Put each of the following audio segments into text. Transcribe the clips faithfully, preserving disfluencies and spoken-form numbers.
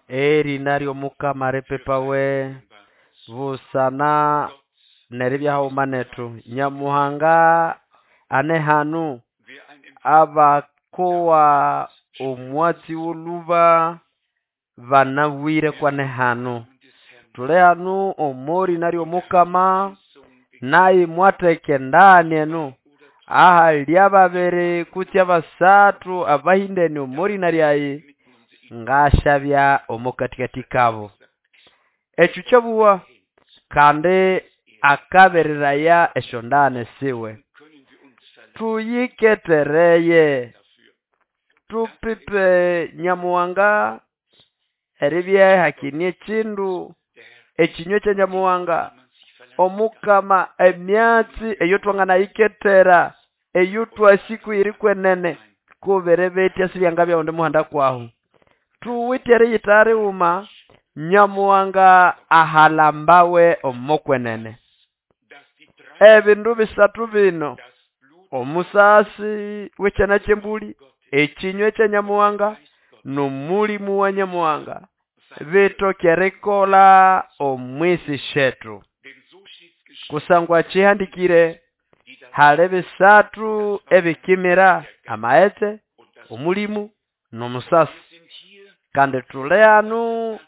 Erina ly'omukama ripipawe busana neribya haghuma nethu. Nyamuhanga ane hanu abakowa omwatsi wolhuba banabwire kwane hanu. Thuli hanu omorina ly'omukama nayi mwatheka endagane eno ahali ababiri kutse abasathu abahindene omorina lyayi ngasyabya omokathikathi kabo. Ekyo kyabugha kandi akabereraya esyondagane siwe. Tuyikethereye thupipe Nyamuhanga eribya ihakine ekyindu ekinywe kya Nyamuhanga omukama emyatsi eyothwanganayikethera eyothwasi kuyiri kwenene kubiribitya sibyangabya oghundi muhanda kwahu. Thuwithe eriyitagha righuma Nyamuhanga ahalambawe omo kwenene. Ebindu bisathu bino omusasi wekyana kyembuli, ekinywe kya Nyamuhanga nomulimu wa Nyamuhanga bithoke erikolha omwisi syethu. Kusangwa kyihandikire hali bisathu ebikimira amaghetse, omulimu nomusasi. Kandi thuli hanu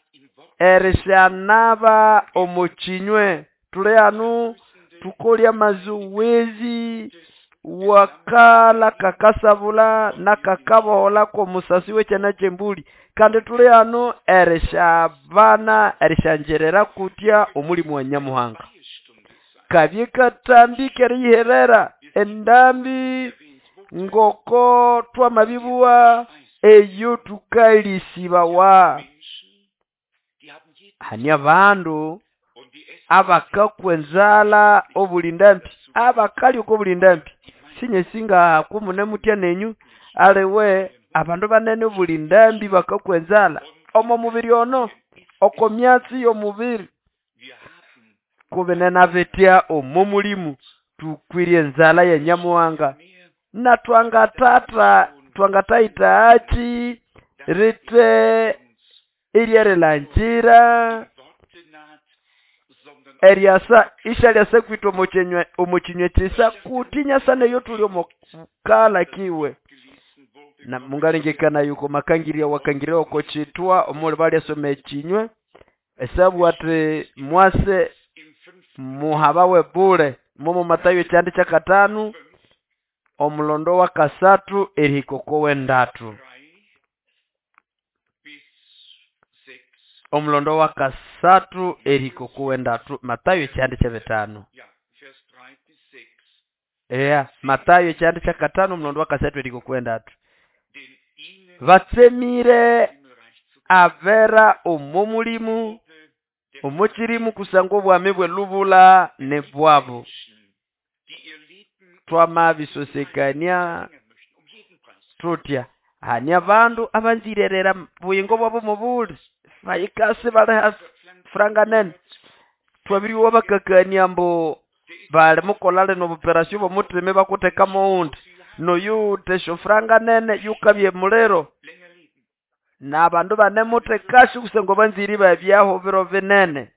erisyanaba omo kinywe, thuli hanu thukolye amazowezi wakalha kakasabulha nakakaboholha kwomusasi wekyana kyembuli. Kandi thuli hanu erisyabana erisyangyirira kutya omulimu wa Nyamuhanga. Kabye kathambi keriyiherera endambi ngoko twamabibugha eyo thukalisibawa. Hane abandu abakakwa enzalha obuli ndambi, abakalya oko buli ndambi. Sinyasi nga kumunemutya nenyu aliwe abandu banene obuli ndambi bakakwa enzalha omo mubiri ono, oko myatsi yomubiri. Kubinene bitya omo mulimu thukwire enzalha ya Nyamuhanga na thwangathatha thwangathayithagakyi rithe iryerilangira eryasa isyalyasa kwithwe omo kyinywe omo kyinywe kyisa kuti inyasa neyo thuli omo kala kiwe. Na mungalengekanaya oko makangirya wakangirya oko kyithwa omuli balyasoma ekinywe esyabugha athi mwase muhabawe bule momo Mathayo ekyihanda kyakathanu omulondo wakasathu erihika oko wendathu. Omulondo wakasathu erihika oko wendathu Mathayo ekyihanda kyebithanu. Eya Mathayo ekyihanda kyakathanu omulondo wakasathu erihika oko wendathu. Batsemire abera omo mulimu omo kyirimu kusangwa obwami bwelubulha nibwabu. Thwamabisosekania thuthya hane abandu abanzire erihera obuyingo bwabo mobuli bayikasa ibaliha franga nene. Thwabiryowa bakakania ambu bali mukolha lino obuperasyo bwomuthima ibakutheka moghundi noyuwithe esyofuranga nene yukabya emuliro. Nabandu ibanemuthekasyo kusangwa banzire ibabyaho biro binene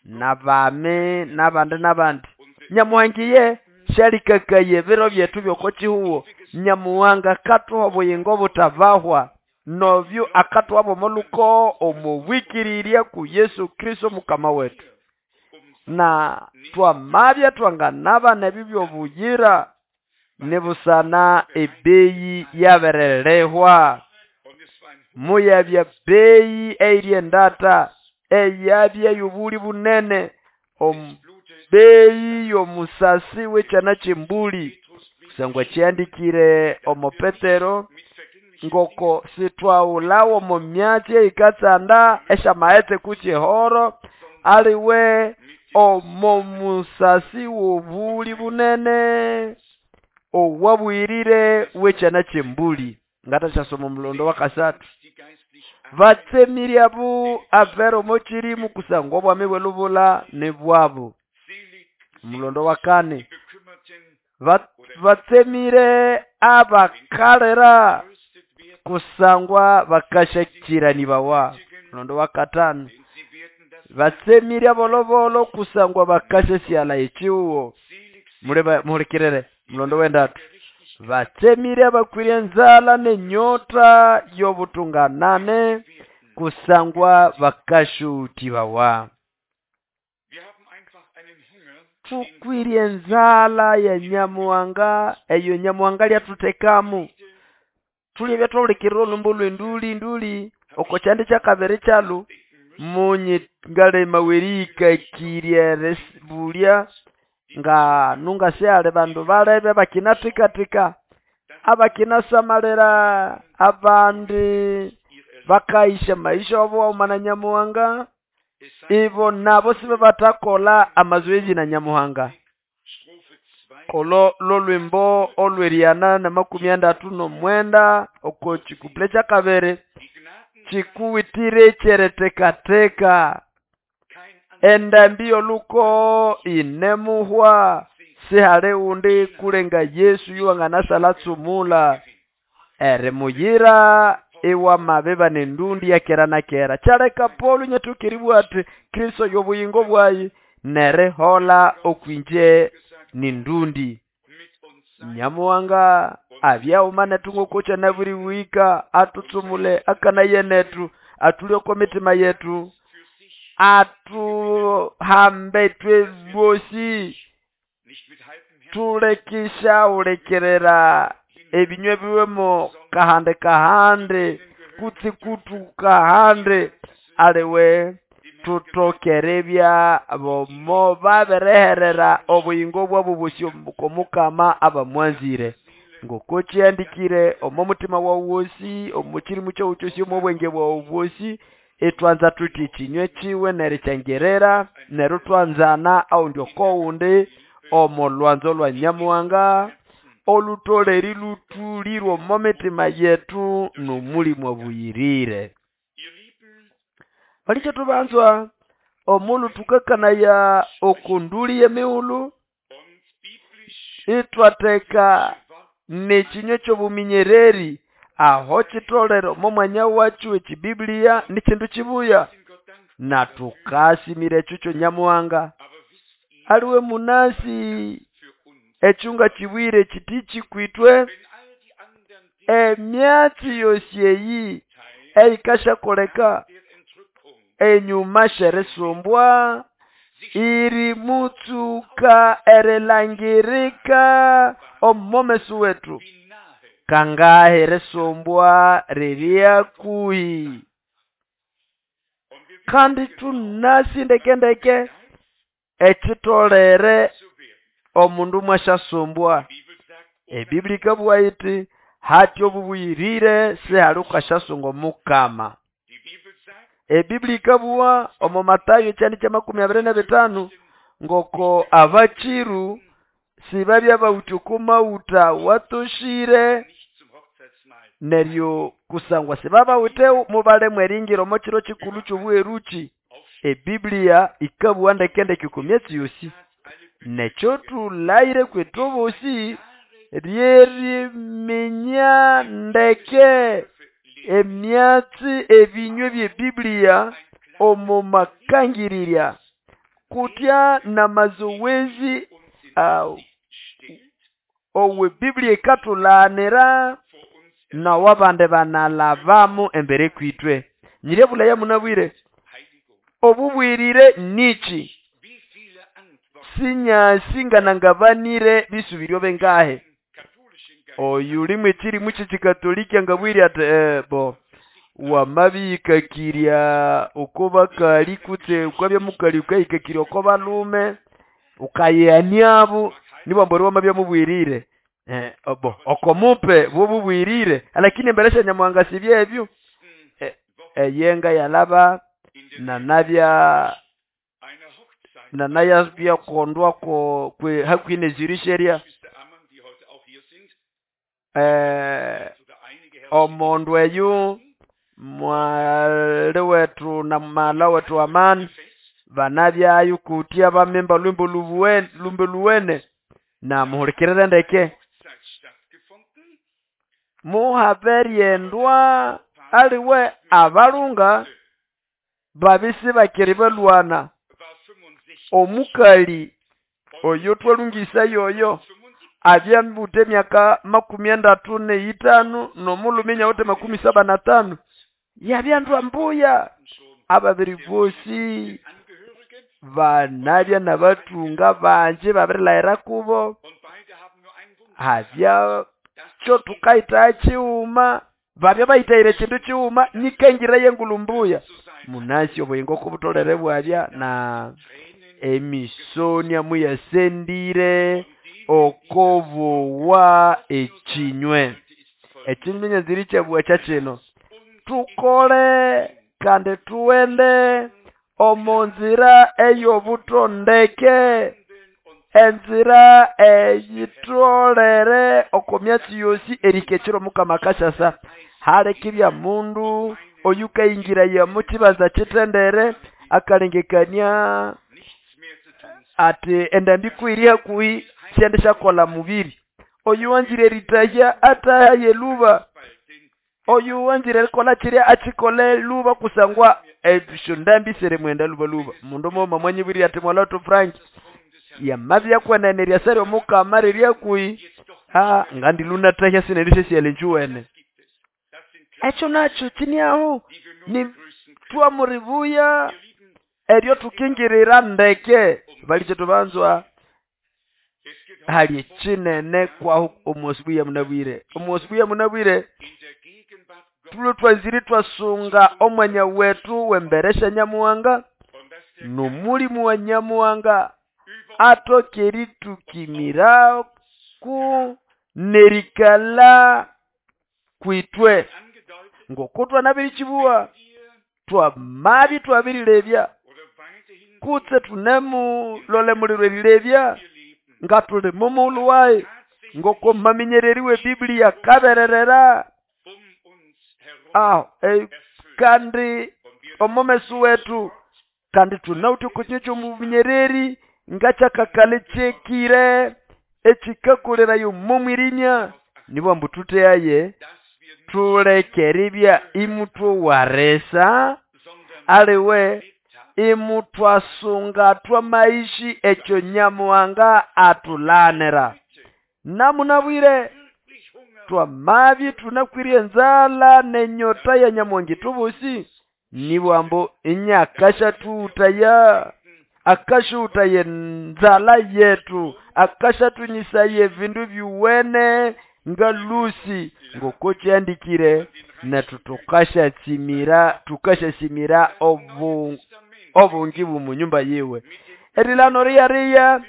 nabami nabandi nabandi. Nyamuhanga iye syalikakaya ebiro byethu byoko kyihugho. Nyamuhanga akathuha obuyingo obuthabahwa nobyo akathuha bwomo lhukogo omo bwikirirya ku Yesu Kristo mukama wethu. Na twamabya thwanganabana ebyo byobuyira nibusana ebeyi yabirilihwa. Muyabya beyi eyiri endatha eyabya yobuli bunene omu beyi yomusasi wekyana kyembuli kusangwa kyihandikire omo Petero ngoko sithwaghulhawa omo myatsi eyikatsanda esyamaghetse kutse ehoro aliwe omo musasi wobuli bunene owabuyirire wekyana kyembuli. Ngathasyasoma omulondo wakasathu. Batsemire abo abera omo kyirimu kusangwa obwami bwelubulha nibwabu. Omulondo wakani batsemire abakalira kusangwa bakashakiranĩbawa. Mulondo wa katano, batsemire bolobolo kusangwa bakashasyala echiuwo. Muhulikirire mulondo wendatu, batsemire abakwire enzala nenyota y'obutunganane kusangwa bakashuutibawa. Tukwire enzala ya Nyamuhanga, eyo Nyamuhanga lyathuthekamu. Tulye twawulikirira olhumbo lw'enduli nduli oko kyandi kyakabiri kyalu munyi ngalema werihikakirya eribulya nga nungasihali bandu balebe bakinathikathika abakinasamalira abandi bakayisha maisha wabo waghuma na Nyamuhanga, ibo nabo sibabathakola amazoezi na Nyamuhanga. Olo lolwimbo olw'eriana na makumi andatu n'omwenda oko kikupule kyakabiri kikuwitire kyerithekatheka endambi y'oluko inemuhwa sihali undi kulenga Yesu yuwanganasala tsumula erimuyira iwamabiba nendundi ya kera na kera. Kyaleka Paulo nyathukiribwa ati Kristo y'obuyingo bwayi nerihola okwinje nindundi. Nyamuhanga abyauma nethu ngoko naburi wika atutsumule akana yenetu atulye mitima yetu atuhambe twe bosi tulekisha ulekerera ebinywe biwemo kahande kahande kutsi kutu kahande aliwe tutokerebya bomo babereherera obuyingo bwabo bosi komukama abamwanzire. Ngoko kyandikire omo mutima wawu wosi omo kirimu kyawu kyosi omo bwenge bwawu bwosi etwanza tuti kinywe kiwe nerikyangerera neryo twanzana aundi okowundi omo lwanzo lwa Nyamuhanga olutoleri lutulirwe omo mitima yetu n'omulimu obuyirire. Balikye tubanzwa omulu tukakanaya okunduli y'emighulhu itwatheka n'ekinywe ky'obuminyereri aho kitolere omo mwanya wakyo ekibiblia nikindu kibuya na tukasimira ekyo kyo Nyamuhanga. Aliwe munasi ekyunga kibwire kiti kikwitwe emyatsi yosi eyi eyikashakoleka enyuma sherisumbwa iri mutsuka erilangirika omomesu wetu kangahe risumbwa ririakuhi kandi tunasi ndekendeke ekitolere omundu mwashasumbwa. Ebiblia ikabugha iti hati obubuyirire sihali ukashasunga omukama. Ebiblia ikabugha omo Matayo ekyandi kyamakumi abiri n'ebitano ngoko abachiru sibabya bawithe oko mawutha watoshire neryo kusangwa sibabawithe mubalemu eringira omo kiro kikulu ky'obuheruki. Ebiblia ikabugha ndekendeke oko myatsi yosi nekyo tulayire kwethu bosi ryeriminya ndeke emyatsi ebinywe by'ebiblia omo makangirirya kutya n'amazowezi uh, owe Biblia ikathulanira nawabande banalavamu embere kwitwe. Nyirebulaya munabwire obubwirire niki sinyasinganangabanire bisubiryo bengahe oyu limwe kirimu ky'ekikatoliki ngabwire ati eh, bo wamabikakirya uko bakali kutse ukabya mukali ukahikakirya uko balume ukayaniabo nibambori wamabya mubwirire eh, obo okomupe bobubwirire lakini emberesha Nyamuhanga sibyebyo eh, eyenga yalaba nanabya nanaya byakondwa ko kwe hakwine zirisheria eh omondu eyu mwali wetu na mala wetu amani banabyayo kutia bamemba lwimbo lubuwene lumbe luwene na muhulikirire ndeke. Muhaberyendwa aliwe abalunga babisi bakiri balwana. Omukali oyo twalungisa yoyo abyambute emyaka makumi andatu neitano nomulume inyawithe makumi saba na tano yabyandwa mbuya. Ababiri bosi banabya nabathunga bangi babirilhaghira kubo. Habya kyo thukayithaya kighuma babya bayithayire kindu kighuma nikangira yengulhu mbuya. Munasi obuyingo kubutholere ibwabya na emisonia muyasendire okobowa ekinywe. Ekinywe nyanzire ikyabugha kyakino. Thukole kandi thughende omo nzira eyobutondeke, enzira eyitholere oko myatsi yosi erihika ekiro Omukama akasyasa. Halekibya mundu oyukayingiraya omo kibanza kitendere akalengekania ati endambi kuyiri hakuhi syendisyakolha mubiri. Oyu wanzire erithahya athahaye lhuba. Oyu wanzire erikolha kirya akikolhe lhuba kusangwa esyondambi sirimughenda lhuba lhuba. Mundu mughuma mwanyibwirire ati mwalha wethu Frank yamabya kwenene eryasa ly'Omukama riri hakuhi, ah, ngandilhu nathahya sinendisyasighalha enjuwene. Ekyo nakyo kiniaho ni twamuribuya eryo thukingirira ndeke. Balikyetu banzwa hali ekinene kwahu omu asubuhi ya munabwire. Omu asubuhi ya munabwire thulwe twanzire ithwasunga omwanya wethu wembere sya Nyamuhanga nomulimu wa Nyamuhanga atoke eritukimiraku nerikalha kwitwe. Ngoko twanabirikibuwa twamabya ithwabirilebya kutse thunemulole muliro erilebya nga thuli momughulhu wayi ngoko maminyereri we Biblia akabererera aho e, kandi omomeso wethu kandi thunawithe oko kinywa ky'omuminyereri ngakyakakali kyekire ekikakolerayo momwirimya. Nibwo ambu thutheyaye thuleke eribya imuthowaresa aliwe imutwasunga twamaishi ekyo Nyamuhanga athulanira. Namunabwire twamabya ithunakwire enzalha nenyota ya Nyamuhanga ithwebosi nibwo ambu inyakashathughutaya akashughutaya enzalha yethu akashathunyisaya ebindu byuwene nga lhusi ngoko kyandikire nethu thukashatsimira thukashasimira obu obungi bw'omunyumba yiwe. Erilano riyariya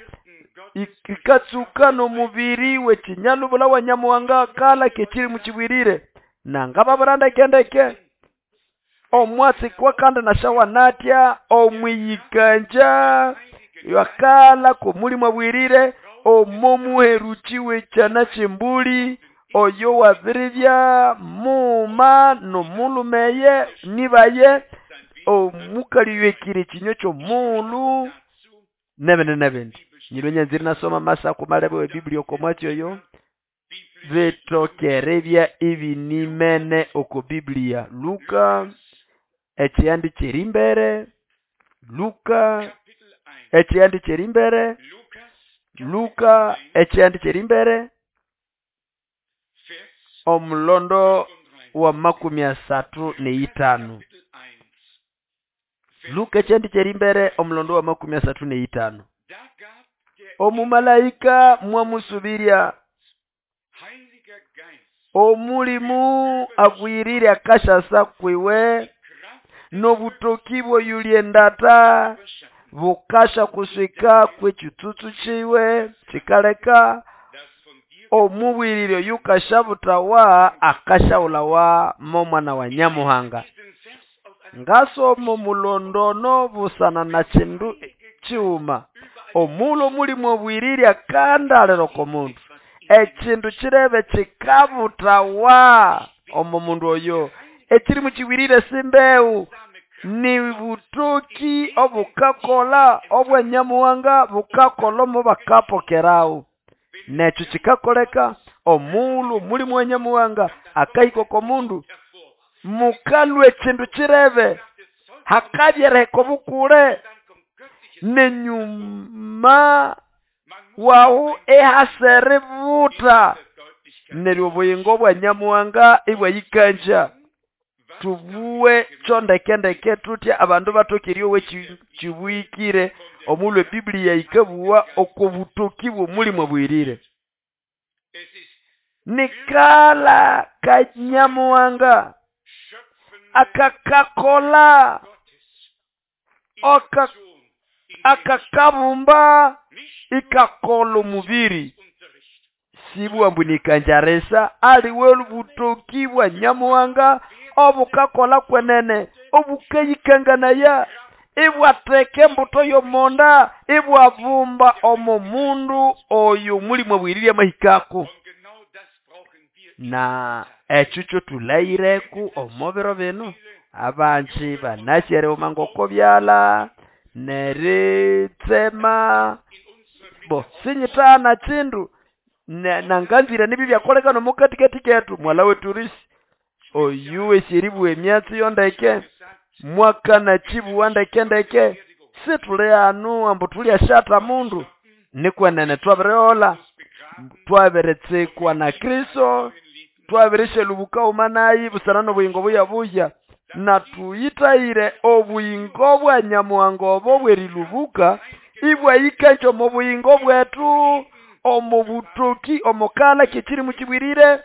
ikatsuka n'omubiri w'ekinyalubula wa Nyamuhanga kala kekiri mukibwirire nangababura ndeke ndeke omwatsi kwakandi nashawanatya omwiyikanja yakala k'omulimu abwirire omo muheruki w'ekyana ky'embuli oyo wabiribya mughuma n'omulhumeye nibaye omukali oyohekire ekinywa ky'omughulhu n'ebindi n'ebindi. Nyilwe nyanzire inasoma amasako malebe we Biblia oko mwatsi oyo bithoke eribya ibinimene oko Biblia. Luka ekyihandi ky'erimbere Luka ekyihandi ky'erimbere Luka ekyihandi ky'erimbere omulondo wa makumi asathu neitano. Luka ekyihandi ky'erimbere omulondo wa makumi asathu neitano. Omumalaika mwamusubirya omulimu agwirire akashasa kwiwe n'obutoki bw'oyuli endata bukasha kuswika kw'ekitsutsu kiwe kikaleka omubwirire oyukashabuthawa akashaghulhawa mo mwana wa Nyamuhanga. Ngasoma omulondono busana na kindu kighuma. Omughulhu omulimu obwirire akandalira oko mundu ekindu kirebe kikabuthawa omo mundu oyo. Ekirimu kibwirire simbewu ni butoki obukakola obwa Nyamuhanga bukakola omo bakapokerawo. Nekyo kikakoleka Omulhu omulimu wa Nyamuhanga akahika oko mundu, mukalhwa ekindu kirebe, hakabya eriheka obukule, nenyuma wahu ihasa eributa, neryo obuyingo bwa Nyamuhanga ibwayikanja. Tubuwe kyo ndeke ndeke tutya abandu bathoke eryowa kibuhikire omulhu eBiblia yikabuwa oko butoki bw'omulimu abuyirire. Nikala ka Nyamuhanga akakakola aka akakabumba ikakola omubiri. Sibwa ambu nikanjarisa aliwe butoki bwa Nyamuhanga obukakola kwenene obukayikanganaya ibwatheka embuto y'omonda ibwabumba omo mundu oyo omulimu abuyirire amahikako. Na ekyo kyotulhayireku omo biro bino. Abanji banasi erihuma ngoko byalha neritsema bo sinyithana kindu nanganzire nibyo byakolekana omo katikati kethu. Mwala wethu Risi oyu wesi eribuwa emyatsi yondeke mwakana kibuwa ndeke ndeke, situli hanu ambu tulyashatha mundu. Nikwenene twabirihola, twabiritsikwa na Kristo, twabirishalubuka uma nayi busana n'obuyingo buya buya, na tuyithayire obuyingo bwa Nyamuhanga obo bw'erilubuka ibwayikanja omo buyingo bwethu omo butoki omo kala kyekirimu kibwirire.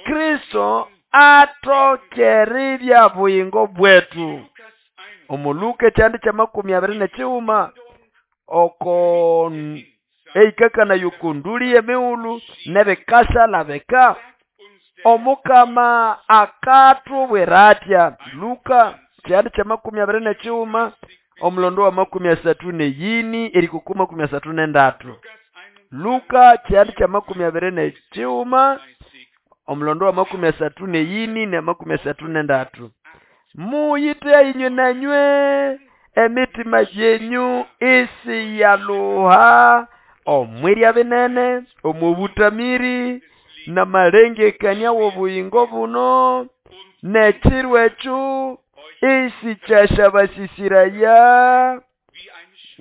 Kristo athokererya buyingo bwetu. Omo Luka ekyandi kyamakumi abiri n'ekighuma oko eyikakana yokonduli y'emighulhu n'ebikashalabika, Omukama akathubwira atya. Luka kyandi kyamakumi abiri n'ekighuma omulondo wa makumi asathu n'eyini erihika makumi asathu n'endatu. Luka kyandi kyamakumi abiri n'ekighuma omulondo wa makumi asathu n'eyini na makumi asathu n'endatu. Muyite inywe nanywe emitima yenyu isiyaluha omwirya binene omu butamiri n'amalengekania w'obuyingo buno n'ekiro ekyo isikyashabasisiraya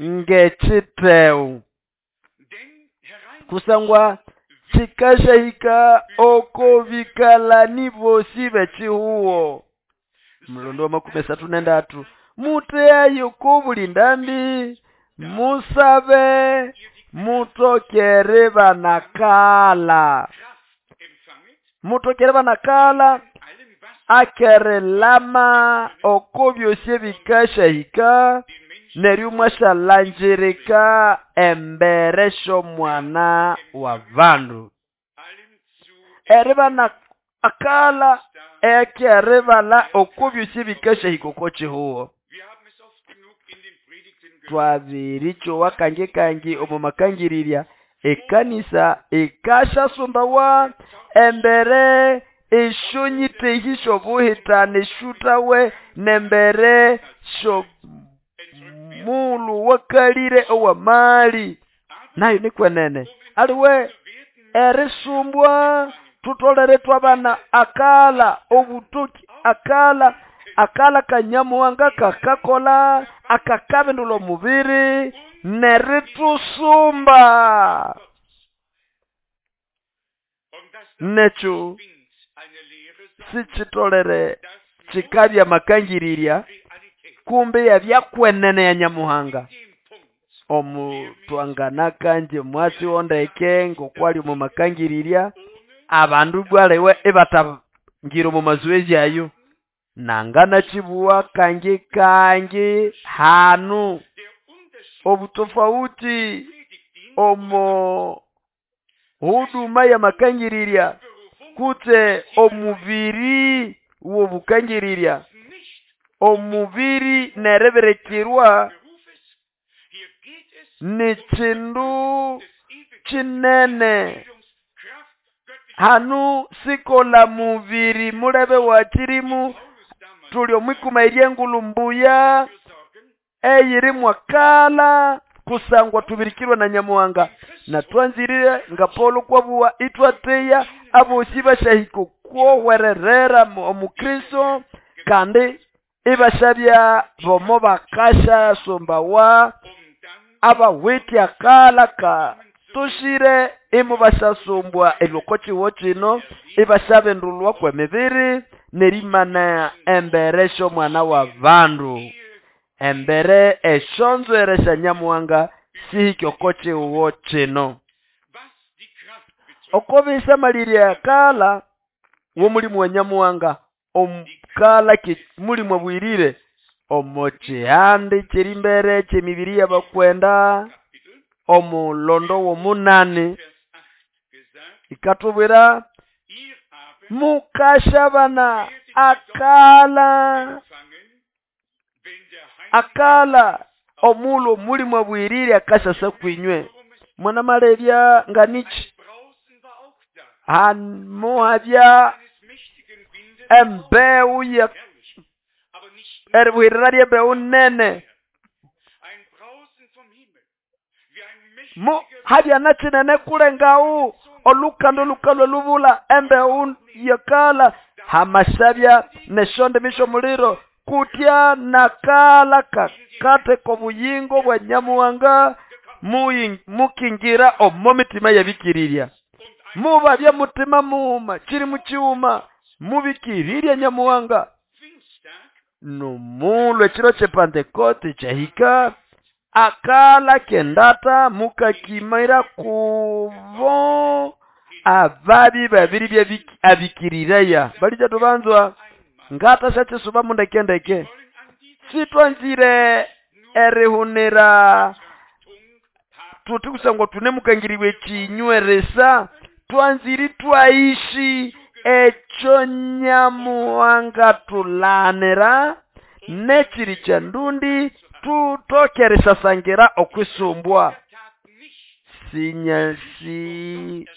ng'ekitheu, kusangwa kikashahika oko bikalani bosi b'ekihugo. Mulondo wa makumi asathu n'endatu. Muteyayo ko buli ndambi, musabe mutokere banakala, mutokere banakala akerelama oko byosi ebikashahika neryo mwashalanjirika embere sh'omwana wa bandu. Eribana akala ekeribala oko byosi ebikashahika oko kihugo. Twabirichowa kangi kangi omo makangirirya ekanisa ikashasumbawa embere eshonyitehi shobuhitana eshutawe nembere sho mulu wakalire owamali nayo nikwenene aliwe erisumbwa tutolere twabana akala obutoki akala akala kanyamuhanga kakakola akakabindula omubiri neritusumba. Nekyo sichitolere chikabya makangirirya kumbe yabyakwenene ya Nyamuhanga. Omutwangana kanje mwatsi ondeke ngokwali omu makangirirya abandu bwalewe ibatangira omu mazoezi ayo nangana chibuwa kangi kangi hanu obutofauti omo huduma ya makangirirya kutse omubiri w'obukangirirya omubiri nereberekirwa ni kindu kinene hanu sikola mubiri mulebe wa kirimu tuli omwikuma eryengulu mbuya eyiri mwakala kusangwa tubirikirwe na Nyamuhanga na twanzirire nga Paulo kwabuwa itwateya abosi bashahika kwohwererera omukristo kandi ibashabya bomo bakasha sombawa abawithe akala ka tushire imu bashasumbwa eloko chiwo chino ibashabendulwa kwemibiri nerimana embere shomwana wa bandu embere eshonzwere sha Nyamuhanga sihike oko chiwo chino okobisa malirya akala womulimu wa Nyamuhanga omukala ki mulimu abwirire omo chihandi chiri mbere chemibiri y'abakwenda omulondo w'omunani ikatubwira mukashabana akala akala omulo mulimu abwirire akashasa kwinywe mwana malebya nganichi hamuhabya embewu ya eribwirira lyembewu nene mu habya nachinene kulengawu olukando lukalwe lubula embewu yakala hamashabya neshonde misho muliro kutya nakala kakate kobuyingo bwa Nyamuhanga mukingira omo mitima yabikirirya mubabya mutima muuma chiri muchiuma mubikirirya Nyamuhanga nomulo echiro che Pentekoste chahika akala kendata mukakimira kubo ababi babiri bya abikirireya balija tubanzwa ngata shachisuba mundekendeke sitwanzire erihunira tuti kusangwa tunemukangiriwe chinyweresa twanziri twaishi echo Nyamuhanga tulanira nechiri cha ndundi tutokeresasangira okwisumbwa sinyasi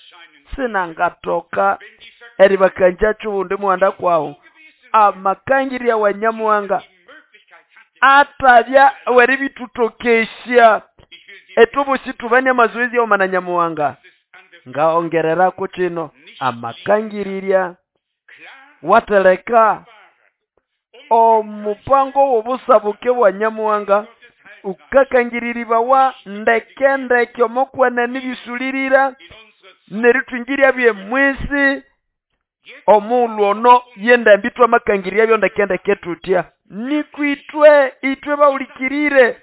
sinangatoka eribakanja chundi muhanda kwawo amakangirya wa Nyamuhanga atabya weribitutokesha etubusi tubane mazoezi ya mana Nyamuhanga ngaongererako chino amakangirirya wateleka omupango w'obusabuke bwa Nyamuhanga ukakangiriribawa ndeke ndeke omokwana nibisulirira neritwingirya byemwisi omulwono yenda mbitwa amakangirya byo ndeke ndeke tutya nikwitwe itwe baulikirire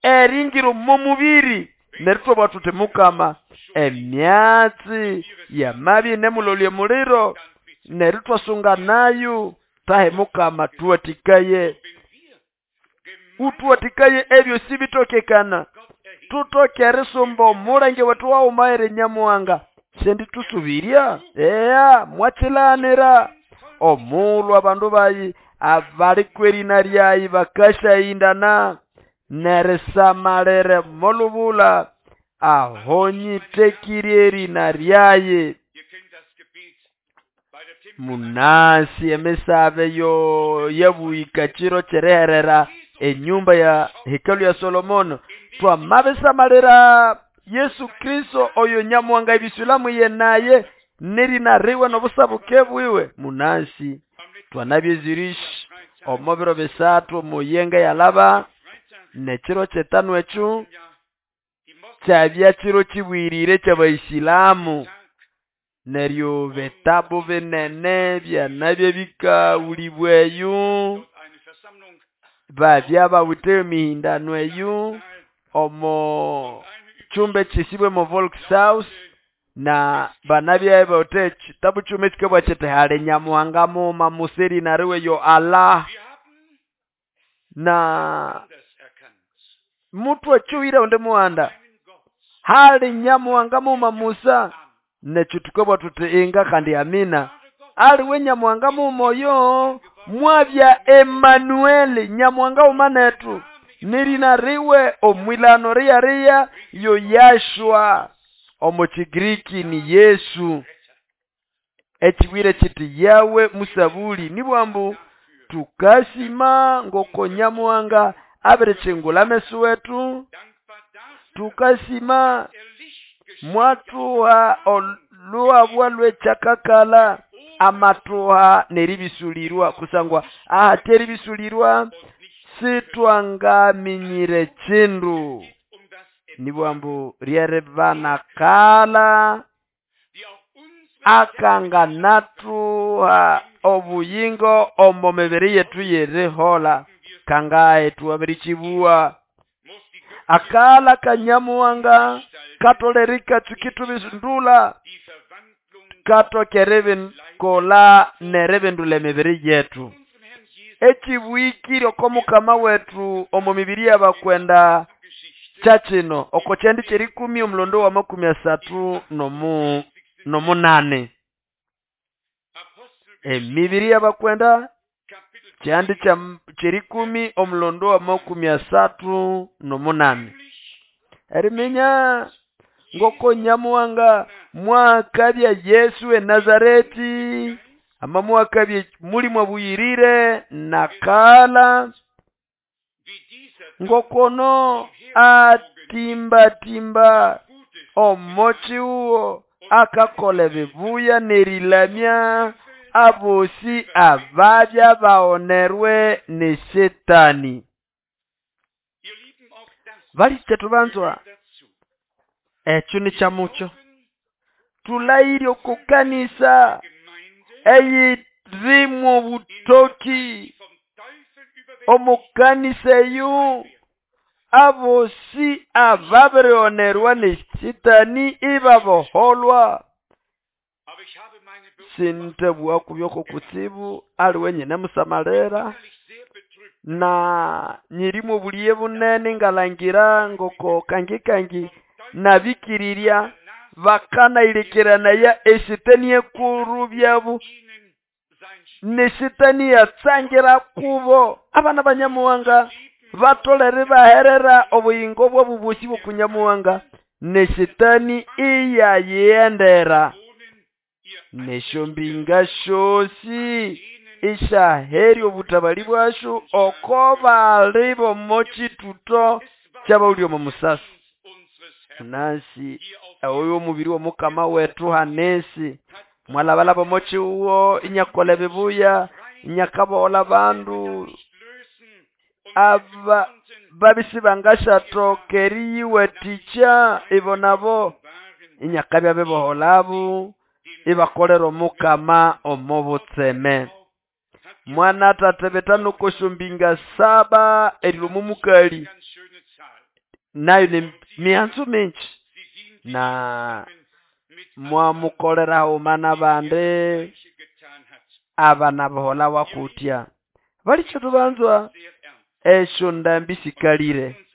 eringiro momubiri neritwe bwatute mukama emyatsi yamabi nemulolye muliro neritwasunga nayo tahe mukama tuwatikaye utuwatikaye ebyo sibitokekana tutokere sumbo mulenge wetu waumaere Nyamuhanga sendi tusubirya eya mwachilanira omulwa abandu bayi abali kwerina lyayi bakashayindana neresamalere molubula ahonyitekirye erina lyaye munasi emisabe yo yabuika chiro chereherera enyumba ya hekalu ya Solomono twamabesamalira Yesu Kristo oyo Nyamuhanga ibisulamu ye naye nerina riwe nobusabuke bwiwe munasi twanabyezirishi omubiro bisatu muyenga yalaba nechiro chetanu echu kyabya chiro chibwirire ky'abaisilamu neryo betabu binene byanabye bikawulibweyo babya bawithe emihindano eyo omo chumbe chisibwe mo Volkshaus na banabya bawithe chitabu chume chikabwa chete hali Nyamuhanga muma museri nariwe yo Allah na mutu achuwira onde muhanda hali Nyamuhanga muma Musa nechitukobwa tuti inga kandi amina aliwe Nyamuhanga mumoyo mwabya Emmanuel Nyamuhanga umanetu nirina riwe omwilano riya riya yo Yashua omu Chigiriki ni Yesu echiwire chiti yawe musabuli nibwambu tukasima ngoko Nyamuhanga abere chingula mesu wetu Tukasima mwathuha oluhabwa lw'ekyakakala amathuha n'eribisulirwa kusangwa ahate eribisulirwa sitwangaminyire kindu nibwambu lyeribanakala akanganathuha obuyingo omo mibiri yetu yerihola kangahe twabirikibuwa akala kanyamuwanga katolere katsuki tubisundula katokere kola neribindula emibiri yetu ekibuhikire oko mukama wetu omo mibiri y'abakwenda kyakino oko kyandi kyerikumi omulondo wa makumi asathu nomu nomunane emibiri y'abakwenda kyandi kyerikumi omulondo wa makumi asathu nomunane eriminya ngoko nyamuwanga mwakabya Yesu e Nazareti ama mwakabya mulimo abuyirire nakala ngokono atimbatimba omochiuwo akakola ebibuya nerilamya abosi ababya baonerwe ni Shetani. Bali tubanzwa ekyo ni kyamucho tulayire okukanisa eyirimu obutoki omukanisa eyo abosi ababirionerwa ni Shetani ibaboholwa. Sintabwa kubyoko kutsibu ali wenyine musamalera na nyirimu obuliye bunene ngalangira ngoko kangi kangi nabikirirya bakanailekeranaya eshetani ekuru byabu neshetani yatsangira kubo abana banyamuwanga batolere baherera obuyingo bwabu bosi bokunyamuwanga neshetani iyayendera neshombinga shosi ishaheri obutabali bwashu oko bali bomochituto kyabawuli omo musasi nasi oyo omubiri w'omukama wetu hanesi mwalabalaba omochiuwo inyakola ebibuya inyakabola bandu aba babisi bangashathoka eriyiwathikya ibo nabo inyakabya biboholabu ibakolera omukama omo butseme. Mwana tate betano koshombinga saba erilomo mukali nayo ni mianzu mingi na mwamukolera umana bande abana bohola wakutya balicho tubanzwa esho ndambi sikalire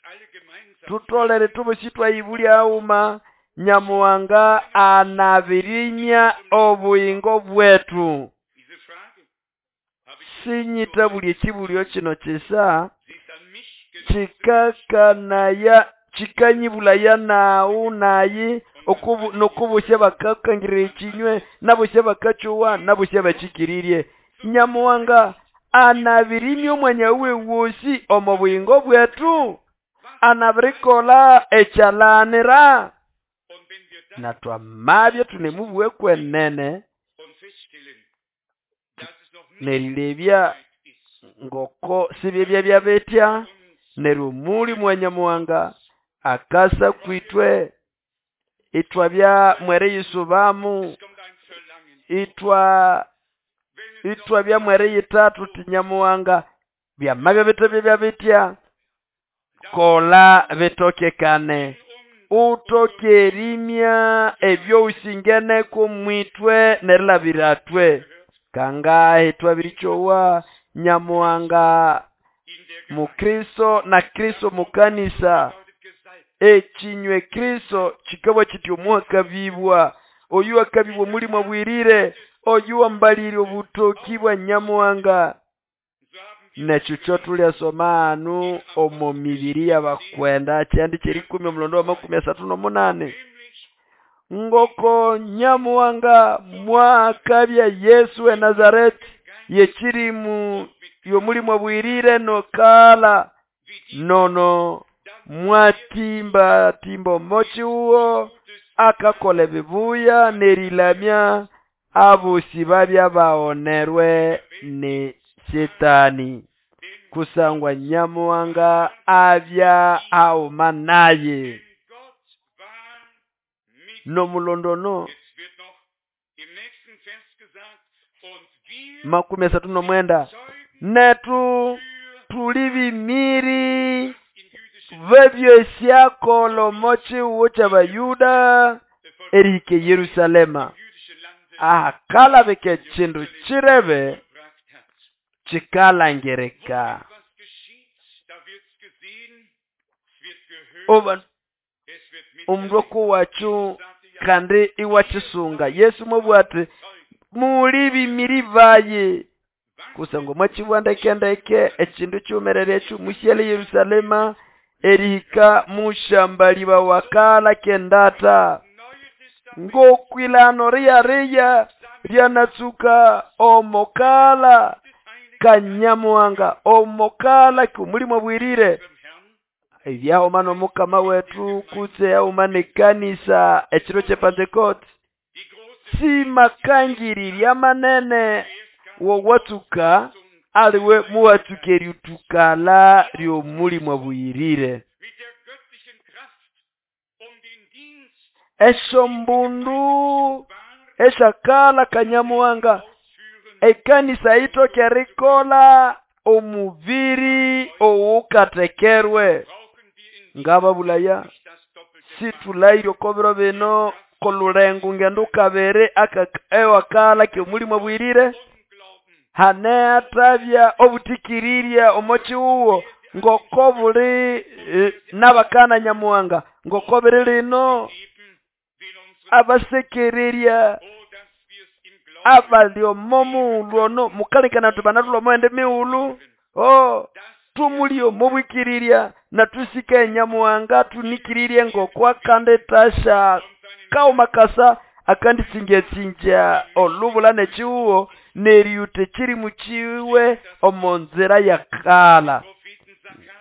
tutolere tubosi twayibulya uma nyamuwanga anabirinya obuyingo bwetu. Sinyita buli ekibulyo kino kisa chikakanaya chikanyibulaya nawu nayi okubu nokubusya bakakangirira ekinywe nabusya bakachowa nabusya bakikirirye nyamuwanga anabirimya omwanya we wosi omo buyingo bwetu anabirikola ekyalanira na twamabya tunemubwe kwenene nerilebya ngoko sibyebya byabetya neryo muli mwanyamuwanga akasa kwitwe itwabya mwere yisubamu itwa itwabya mwere yitatu tinyamuwanga byamabya bitebya byabetya kola bitokekane utokerimya ebyo usingene kumwitwe nerilabiratwe kangahe twabirichowa nyamuwanga mukristo na Kristo mukanisa ekinywe Kristo kikaba kiti omwakabibwa oyu akabibwa mulimo abwirire oyu ambalire obutoki bwa nyamuwanga nekyo kyo tulyasoma anu omo mibiri y'abakwenda kyandi kyerikumi omulondo wa makumi asathu nomunane ngoko nyamuwanga mwakabya Yesu e Nazareti yekirimu yomulimu abwirire nokala nono Mwatimbatimba omokihugo akakola ebibuya n'erilamya abosi babya baonerwe ni Shetani kusangwa Nyamuhanga abya hauma naye. Nomulondono makumi asatu nomwenda netu tuli bimiri bebyesyakola omokihugo ky'Abayuda erihika Yerusalema ahakalabika ekindu kirebe kikalangirika. Oba omundu okuwacu kandi iwakisunga Yesu mwabugha ati muli bimiri baye kusangwa mwakibugha ndekendeke ekindu kiwumerere ekyo musyale Yerusalema erihika musyambalibawa kala kendata ngokwilano riyariya ryanatsuka omokala Kanyamuhanga omokala k'omulimo bwirire ebyahoma n'omukama wetu kutse yahoma n'ekanisa ekiro kye Pentecost simakangirira manene wowatsuka aliwe muwatsuka eryutukala ly'omulimo bwirire. Esyombundu eshakala Kanyamuhanga ekanisa itoke erikola omubiri owukatekerwe ngababulaya situlaire okobiro bino kolulengo ngendo kabiri aka ewakala ky'omulimo bwirire hane atabya obutikiriria omokihugo ngoko buli e, n'abakana Nyamuhanga ngoko biri lino abasekererya abali omo mughulhu ono mukalekana tubanatulwa omughende mighulhu oh tumuli omo bwikirirya natusika Nyamuhanga tunikirirye ngoko akanditasha kauma kasa akanditsingyatsinja olubula n'ekihugo n'eriyuta ekirimu kiwe omo nzira yakala.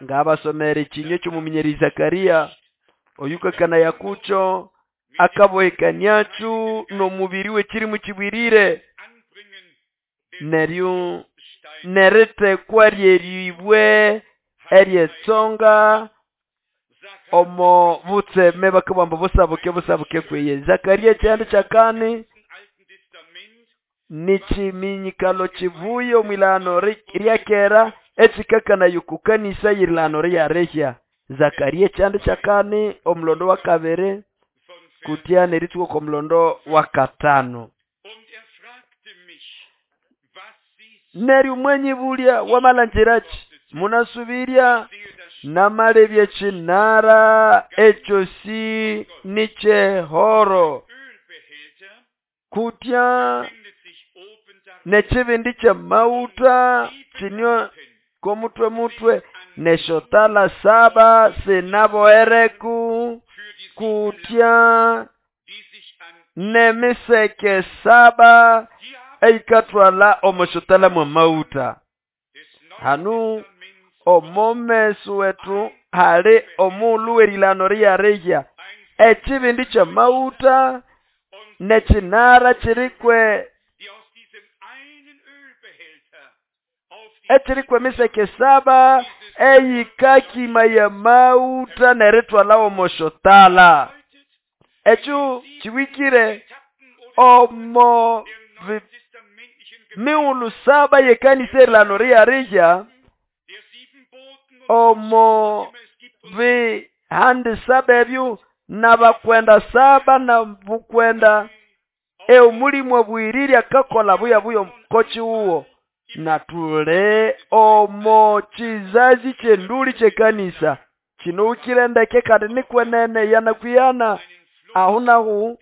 Ngabasomera ekinywa ky'omuminyeri Zakaria oyukakana yakucho akabohekaniachu n'omubiri w'ekirimu kibwirire neryo neritekwa ryeribwe eryetsonga omo butseme bakabamba busabuke busabuke kweye. Zakaria ekyanda kyakani nichiminyikalo kivuye omwilano ryakera ekikakana yukukanisa yilano ryarehya. Zakaria ekyanda kyakani omulondo wa kabiri kutya neritsuka omulondo wa katano. Neryo mwanyibulya wamalanjirachi munasubirya namalebye kinara ekyo si nichehoro kutya nekibindi kyamauta kinywa komutwe mutwe neshotala saba sinaboereku kutya nemiseke saba eikatwala omoshotala mwa mauta. Hanu omomesu wetu hali omulu werilano ryarehya ekibindi kyamauta nekinara kirikwe ekirikwe miseke saba eyikakima ya mauta neritwala omoshotala ekyo kiwikire omo miulu saba yekanisa erilano ryarehya omo bihandi saba ebyo n'abakwenda saba na bukwenda eomulimu obwiriri akakola buya buya kokiwuwo natule omo kizazi kyenduli kyekanisa kino ndeke kandi nikwenene yanakwiyana ahu nahu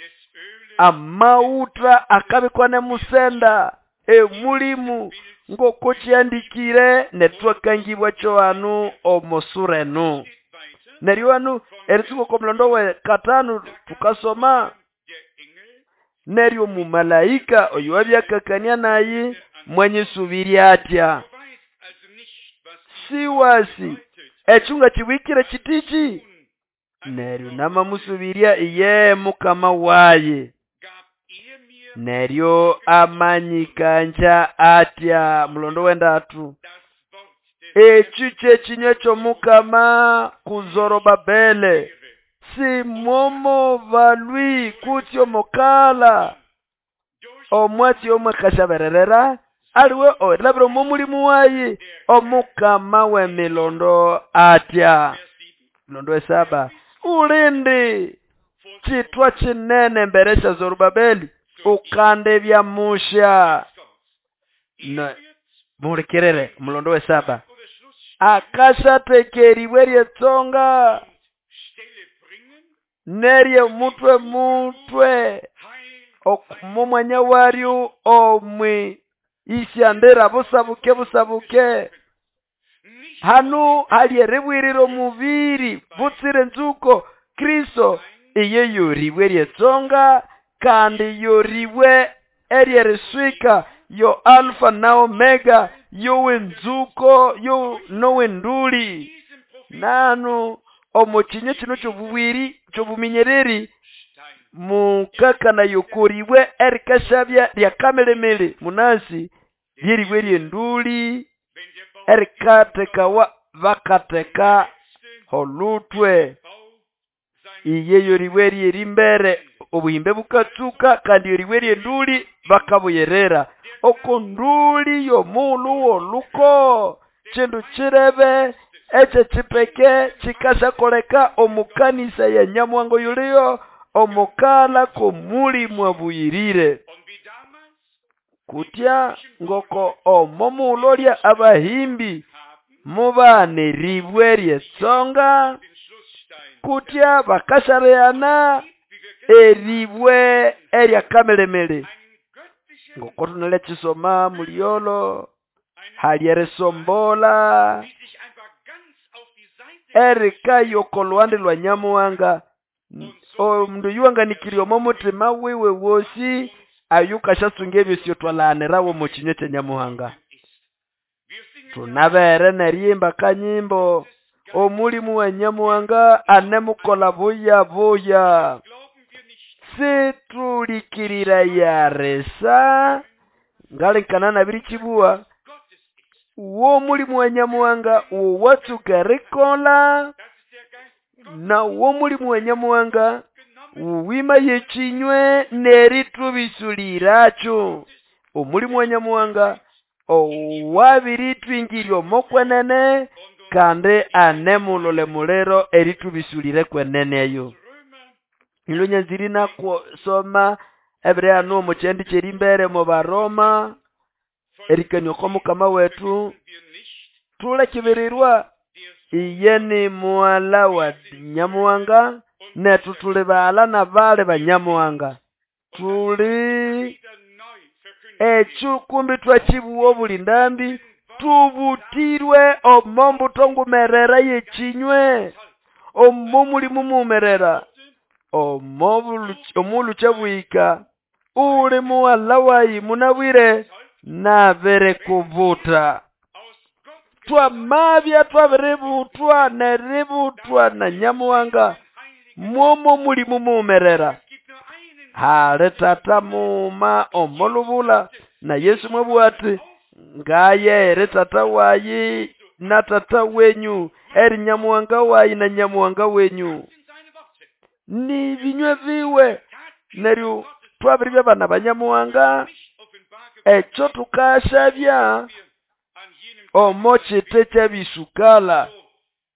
amauta akabikwa nemusenda emulimu ngoko kyandikire netwakangibwa kyohanu omosurenu. Neryo hanu eritsuka omulondo we katano tukasoma neryo mumalaika oyo wabyakakania naye mwanyisubirya atya Siwasi echunga chibwikire chitichi? Neryo namamusubirya iye mukama waye. Neryo amanyikanja atya mulondo wendatu echi kyekinywa ky'omukama ku Zorobabele simwomo balwi kutsi omukala omwatsi omwakashabererera aliwe orilabira omo mulimu wayi omukama w'emilondo atya. Mulondo wesaba ulindi chitwa chinene mbere sha Zorobabeli ukande bya musha. Muhulikirire mulondo wesaba akashatekeribwe ryetsonga nerye mutwe mutwe omumwanya waryo omwi isyandira busabuke busabuke hanu hali eribwirira omubiri butsire nzuko Kristo iye yoribwe ryetsonga kandi yoribwe eryeriswika yo Alfa na Omega yowenzuko yo nowenduli nanu omukinyo kino ky'obubwiri ky'obuminyereri mukakana yokoribwe erikashabya lyakamelemele munasi lyeribwe lyenduli erikatekawa bakateka holutwe iye yoribwe lyerimbere obuhimbe bukatsuka kandi yoribwe lyenduli bakabuyerera okonduli yomulu woluko chindu chirebe eche chipeke chikashakoleka omukanisa ya Nyamuhango yuliyo omukala komuli mwabuyirire kutya ngoko omomulolya abahimbi mubaneribwe ryetsonga kutya bakashareana eribwe eryakamelemele ngoko tunale chisoma muliolo halyeresombola erikayo kolwande lwa Nyamuhanga omundu yuwanganikirye omo mutima wiwe wosi ayukashasunga ebyosyo twalanirawo mu kinywa kya Nyamuhanga. Tunabere neryimba kanyimbo omulimu wa Nyamuhanga anemukola buya buya situlikirira yaresa ngalinkana nabiri chibuwa uwo mulimu wa Nyamuhanga uwatsuka rikola na uwo mulimu wa Nyamuhanga uwima yechinywe neritubisuliiracho omulimu wa Nyamuhanga owabiritwingirya omokwenene kandi anemulole mulero eritubisulire kwenene eyo. Ilonyanziri nakusoma ebire hano omu kyendi kyerimbere mu Baroma erikania oko mukama wetu tulekibirirwa iye ni muwala wa Nyamuhanga netu tuli baala na bale ba Nyamuhanga tuli echu kumbi twachibuwa obuli ndambi tubutirwe omo mbuto ngumerera yechinywe omo mulimu mumerera omo omulucha bwika uli muwala wayi munabwire nabere kubuta twamabya twabiributwa neributwa na Nyamuhanga mwomo mulimu mumerera hali tata muma omolubula na Yesu mwabwati ngaye eri tata wayi na tata wenyu eri Nyamuhanga wayi na Nyamuhanga wenyu ni binywe biwe neryo twabiribya bana ba Nyamuhanga ekyo tukashabya omo kite kyebisukala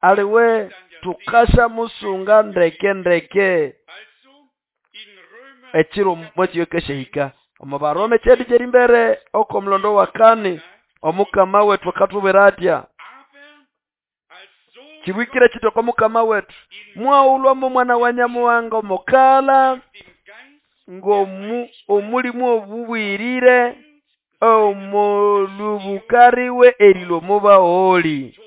aliwe tukasha musunga ndeke ndeke ekiro mwekiyokeshehika omu Baroma kyendi kyerimbere oko mulondo wa kane omukama wetu akatubwira atya kibwikire kiti oko mukama wetu mwaulwamo mwana wa Nyamuhanga omukala ng'omu omulimu obubwirire omolubukariwe erilwa omubaoli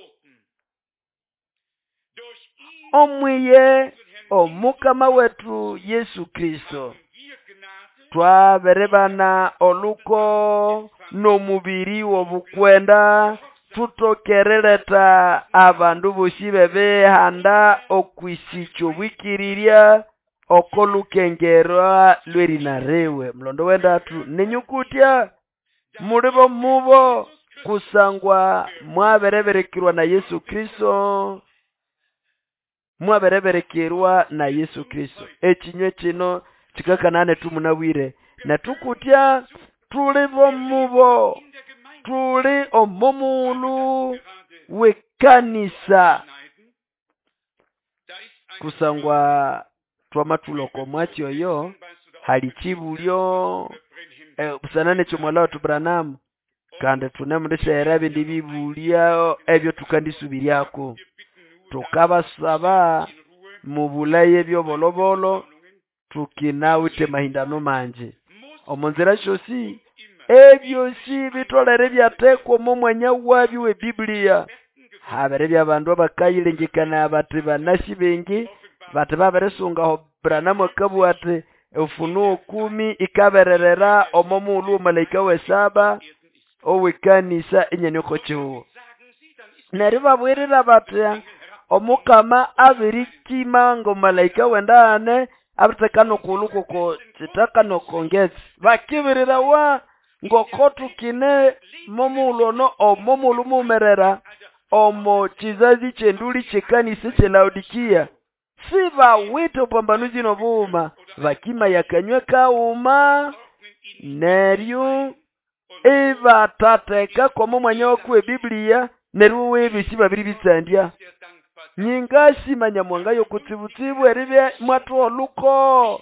omwiye omukama wetu Yesu Kristo twaberebana oluko n'omubiri w'obukwenda Thutokerereta abandu bosi b'ebihanda okwisikya obwikirirya oko lukengerwa lw'erina riwe. Mulondo w'endatu, ninyukutya muli bomubo kusangwa mwabireberekerwa na Yesu Kristo, mwabireberekerwa na Yesu Kristo. Ekinywe kino kikakana nethu munabwire netukutya tuli bomubo, tuli omomulu w'ekanisa kusangwa twamathuloko mwatsi oyo hali kibulyo eh, busana nekyo mwala wethu Branham kandi thunemundisyaghera ebindi bibulya ebyo thukandisubiryako. Thukabasaba mubulaye ebyobolobolo tukinawithe mahindano manji omo nzira syosi ebyosi bitolere byathekwa omo mwanya wabyo we Biblia. Habere byabandu abakayilengekana bathi banasi bengi bathi babirisungaho Branham akabugha ati Ufunuo kumi ikabererera omo mughulhu w'omalaika w'esaba ow'ekanisa enyene oko kihugho. Neryo ibabwirira batya omukama abirikima ng'omalaika w'endagane abiritheka n'okughulhu kw'oko kitaka n'oko ngetsi. Bakibirirawa ng'oko tukine momughulhu ono omo mughulhu mughumerera omo kizazi ky'enduli ky'ekanisa eky'e Laodikia. Sibawithe obupambanuzi n'obughuma bakimaya akanywe kaghuma neryo ibathatheka kw'omo mwanya wakuwe Biblia neryo webisi babiribitsandya. Nyingasima Nyamuhanga yokutsibutsibu eribya mwathuha oluko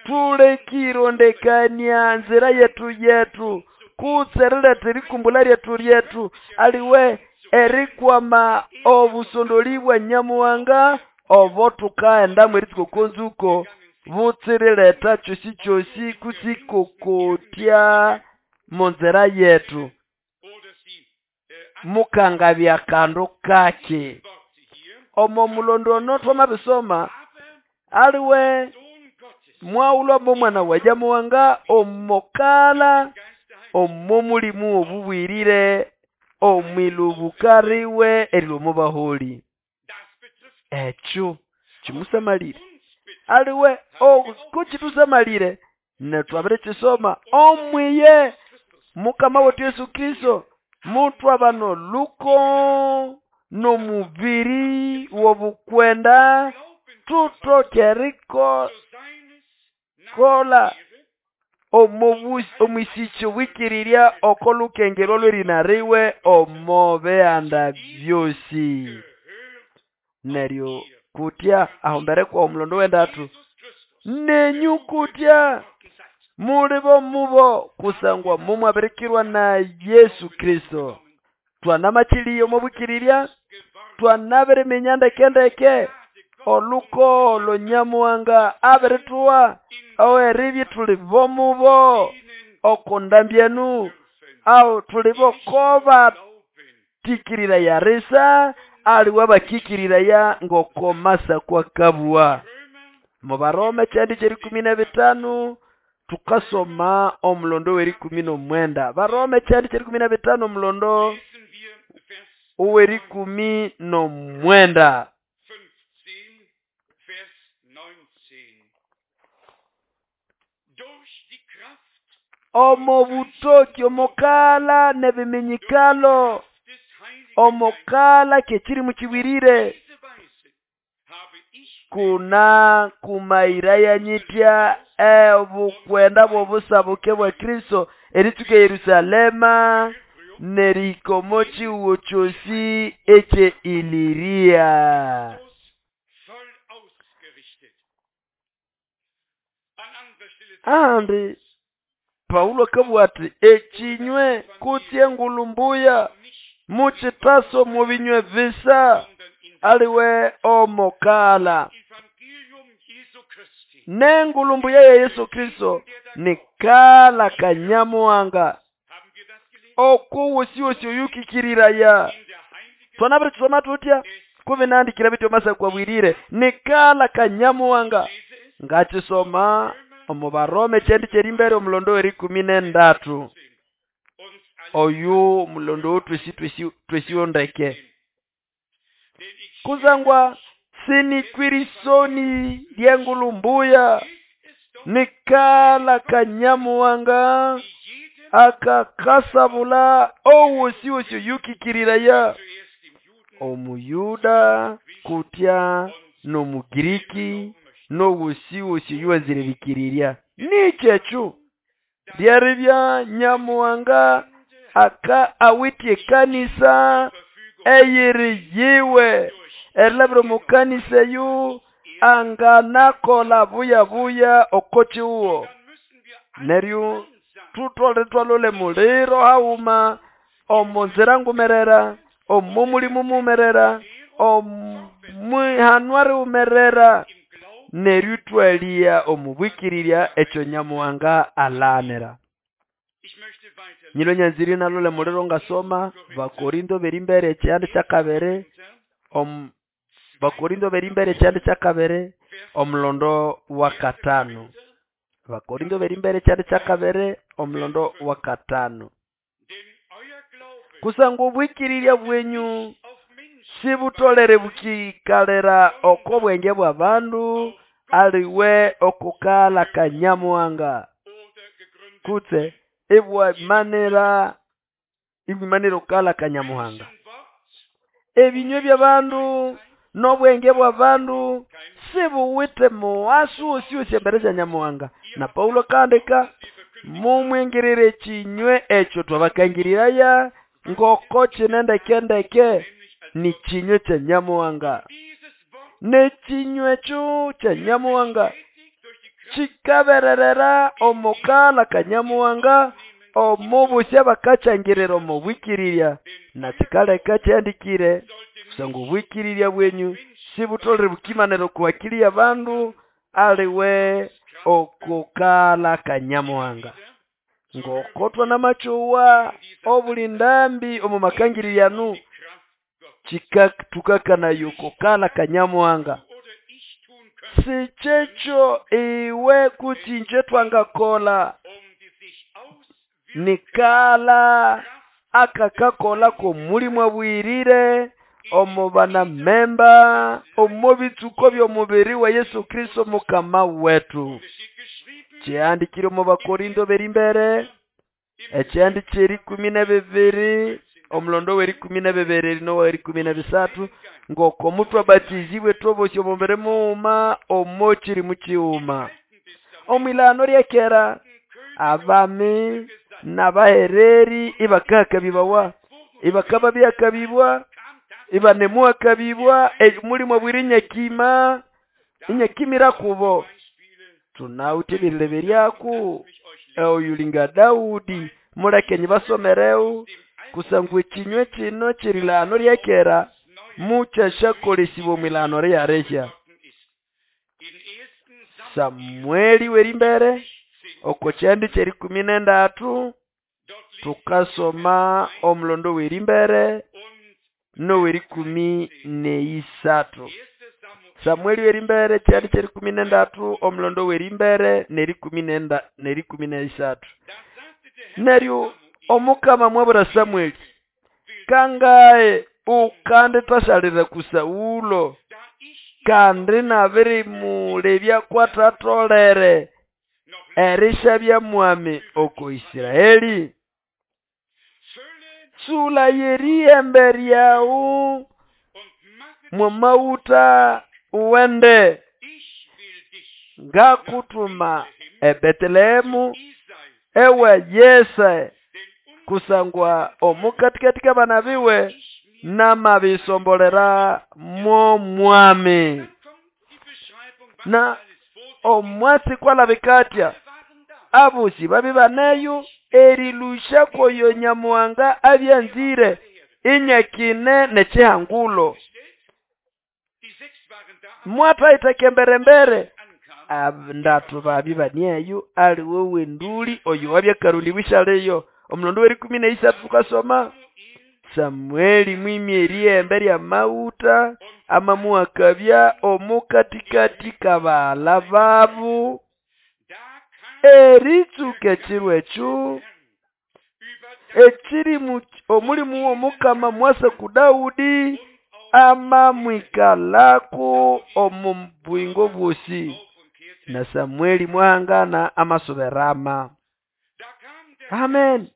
tulekirondekania nzira yetu yetu kutse eriletha erikumbula lyetu lyetu aliwe erikwama obusondoli bwa Nyamuhanga obo thukaghenda mweritsuka oko nzuko butsiriletha kyosi kyosi kutsikokotya munzira yetu mukangabya kandu kake. Omo mulondo ono twamabisoma aliwe mwaghulwa momwana wa Nyamuhanga omokala omo mulimu obubwirire omwilubuka riwe erilwa omo baholi. Ekyo kimusamalire aliwe kukithusamalire netwabirikisoma omwiye Mukama wetu Yesu Kristo mutwaba noluko n'omubiri w'obukwenda tutokeriko kola omwisicho bwikirirya oko lukengerwa lw'erina riwe omo bihanda byosi. Neryo kutya ahombere kwa omulondo w'endatu nenyu kutya muli bomubo kusangwa mumwabirikirwa na Yesu Kristo. Twanamakiliye omo bwikirirya twanabiriminya ndekendeke oluko olwo Nyamuhanga abirituwa oweribye tuli bomubo oko ndambyenu aho tuli bokoba tikirira yarisa aliwe bakikiriraya ngoko masa kwa kabwa. Mu Baroma kyandi ky'erikumi na bitano tukasoma omulondo w'erikumi n'omwenda. Baroma kyandi ky'erikumi na bitano omulondo ow'erikumi n'omwenda. Omo butoki omokala n'ebiminyikalo omokala kekiri mukibwirire kuna kumaira yanyitya obukwenda bw'obusabuke bwa Kristo eritsuka Yerusalema nerikomo chiwo kyosi ekye Iliria. Ahandi Paulo akabugha ati ekinywe kutsi engulu mbuya mukitaso mu binywe visa aliwe omokala nengulu mbuya ya Yesu Kristo nikala kanyamuhanga okuwusiwosi oyukikiriraya. Twanabiritsoma tutya kubinandikira bityo masa kwabwirire nikala kanyamuhanga ngakisoma omu Baroma ekyendi kyerimbere omulondo w'erikumi n'endatu. Oyu mulondo twesi twesi twesiondeke kuzangwa sinikwirisoni lyengulumbuya nikala kanyamuwanga akakasabula owosi wosi yukikiriraya omuyuda kutya n'omugiriki n'owosi wosi yuwaziririkirirya nichechu lyaribya nyamuwanga aka awitye kanisa eyiri yiwe erilabira omukanisa eyu anganakola buya buya okochiuwo neryo tutole twalole muliro hauma omunzira ngumerera omo mulimu mumerera omwihanwa riumerera neryo twalia omubwikirirya ekyo nyamuwanga alanira. Nyilo nyanziri nalole muliro ngasoma Bakorinto berimbere ekyandi kyakabere om Bakorinto berimbere ekyandi kyakabere omulondo wa katano. Bakorinto berimbere ekyandi kyakabere omulondo wa katano. Kusangwa obwikirirya bwenyu sibutolere bukikalera oko bwenge bwa bandu aliwe okukala kanyamuwanga kutse ibwamanira ibwimanira okukala kanyamuhanga. Ebinywe by'abandu n'obwenge bw'abandu sibuwite muwasu wosi wosi embere sya nyamuhanga. Na Paulo kandika mumwingirire kinywe ekyo twabakangiriraya ngoko kinendekendeke ni kinywe kya nyamuhanga. N'ekinywe ekyo kya nyamuhanga kikabererera omukala kanyamuhanga omubusya bakakyangirira omubwikirirya na kikaleka kyandikire kusanga obwikirirya bwenyu sibutolere bukimanira okuwakili abandu aliwe okukala kanyamuhanga. Ngokotwa n'amachuwa obulindambi omu makangirirano chika tukakana yokukala kanyamuhanga. Sichecho iwe kutinje twangakola nikala akakakola ko mulimu abwirire omu bana memba omu bitsuko by'omubiri wa Yesu Kristo mukama wetu. Kyandikire omu Bakorinto berimbere ekyandi ky'erikumi na bibiri omulondo w'erikumi na bibiri n'owerikumi na bisatu ngoko mutwabatizibwe twobosi omubiri muuma omo kiri mukiuma. Omwilano lyekera abami n'abahereri ibakakabibawa ibakaba byakabibwa ibanemuakabibwa mulimu abwiri nyakima inyakimira kubo. Tunawutibirire beryaku oyulinga Daudi mulekenyi basomereu kusangwa ekinywe kino kirilano lyekera mukyashakolesibwa omwilano lyaresya. Samueli werimbere oko kyandi kyerikumi n'endatu tukasoma omulondo werimbere nowerikumi neisatu. Samueli werimbere kyandi kyerikumi n'endatu omulondo werimbere nerikumi nenda nerikumi neisatu. Neryo omukama mwabura Samueli kangae ukande twasalira ku Saulo kandi nabiri mulebya kwatatolere erisha mwami oko Israeli. Sula yeriembe ryawu mwamauta uwende ngakutuma eBetelehemu ewe Yese kusangwa omukatikati kabanabiwe namabisombolera mo mwami. Na omwatsi kwalabikatya abusi babi baneyo erilusha koyo nyamuhanga abyanzire inyakine nechihangulo. Mwathaita kemberembere ndatu babi baneyo aliwe wenduli oyo wabyakarundi bishaleyo. Omulondo werikumi neisatu tukasoma Samueli mwimi eriembe lya mauta amamuakabya omukatikati kabala babu eritsuka ekiro ekyo Ekirimu omulimu w'omukama mwasa ku Daudi amamwikalako omu bwingo bwosi. Na Samueli mwahangana amasuberama. Amen.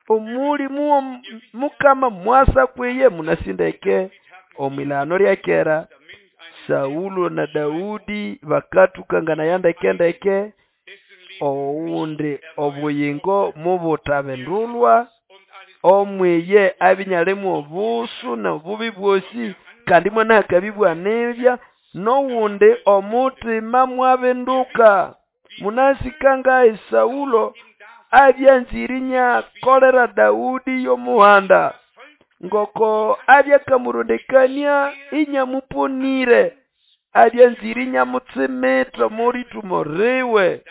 Omulimu w'omukama mwasa kwiye munasindeke omwilano lya kera. Saulo na Daudi bakatukangana yandekendeke owundi obuyingo mubutabindulwa omwiye abinyalemu obusu nobubi bwosi kandi mwana akabibwanibya nowundi omutima mwabinduka. Munasikanga Saulo abyanzirinya kolera Daudi yomuhanda ngoko abyakamurondekania inyamuponire abyanzirinya mutsimita moritumo riwe.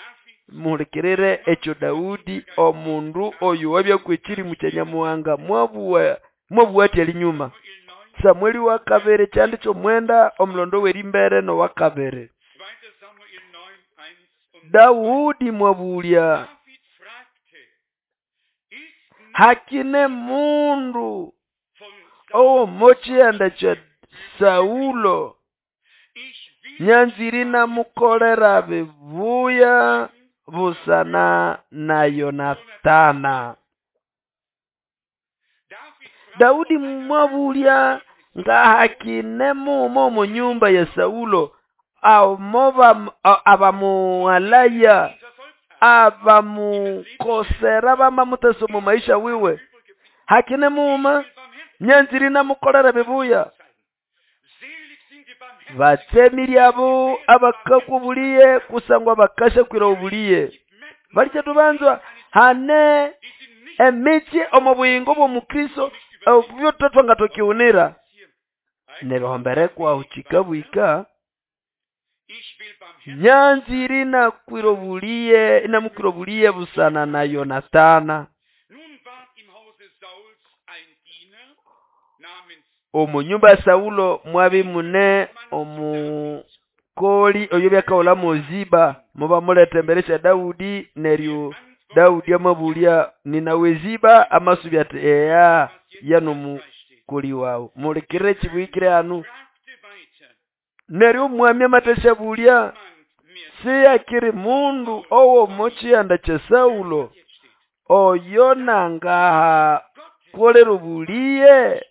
Muhulikirire ekyo Daudi omundu oyo wabyakwekirimu kya Nyamuhanga mwabuwa mwabuwa ati linyuma. Samueli wa kabiri kyandi kyomwenda omulondo w'erimbere n'owakabiri. Daudi mwabulya hakine mundu owomochiyanda kya Saulo nyanziri namukolera bibuya busana na Yonatana. Daudi mwabulya nga hakine mumo mu nyumba ya Saulo amoba abamualaya abamukosera bamamuteso mu maisha wiwe. Hakine muma nyanziri namukolera bibuya. Batsemiri abo abakakubuliye kusangwa bakasha kwira obuliye. Balicha tubanzwa hane emichi omu buyingo bw'omukristo obyo nga tokiunira nerihomberekwa uchikabwika nyanziri nakwira obuliye inamukwira obuliye busana na Yonatana. Omu nyumba ya Saulo mwabi mune omukoli oyo byakaola moziba muba muletemberesha Daudi neryo Daudi amabulya ninawe Ziba amasubya ati eya yano mukoli wawe mulikire kibwikire anu. Neryo mwami amatesha bulya siyakiri mundu owo mochiyanda kya Saulo oyo nangaha kolero buliye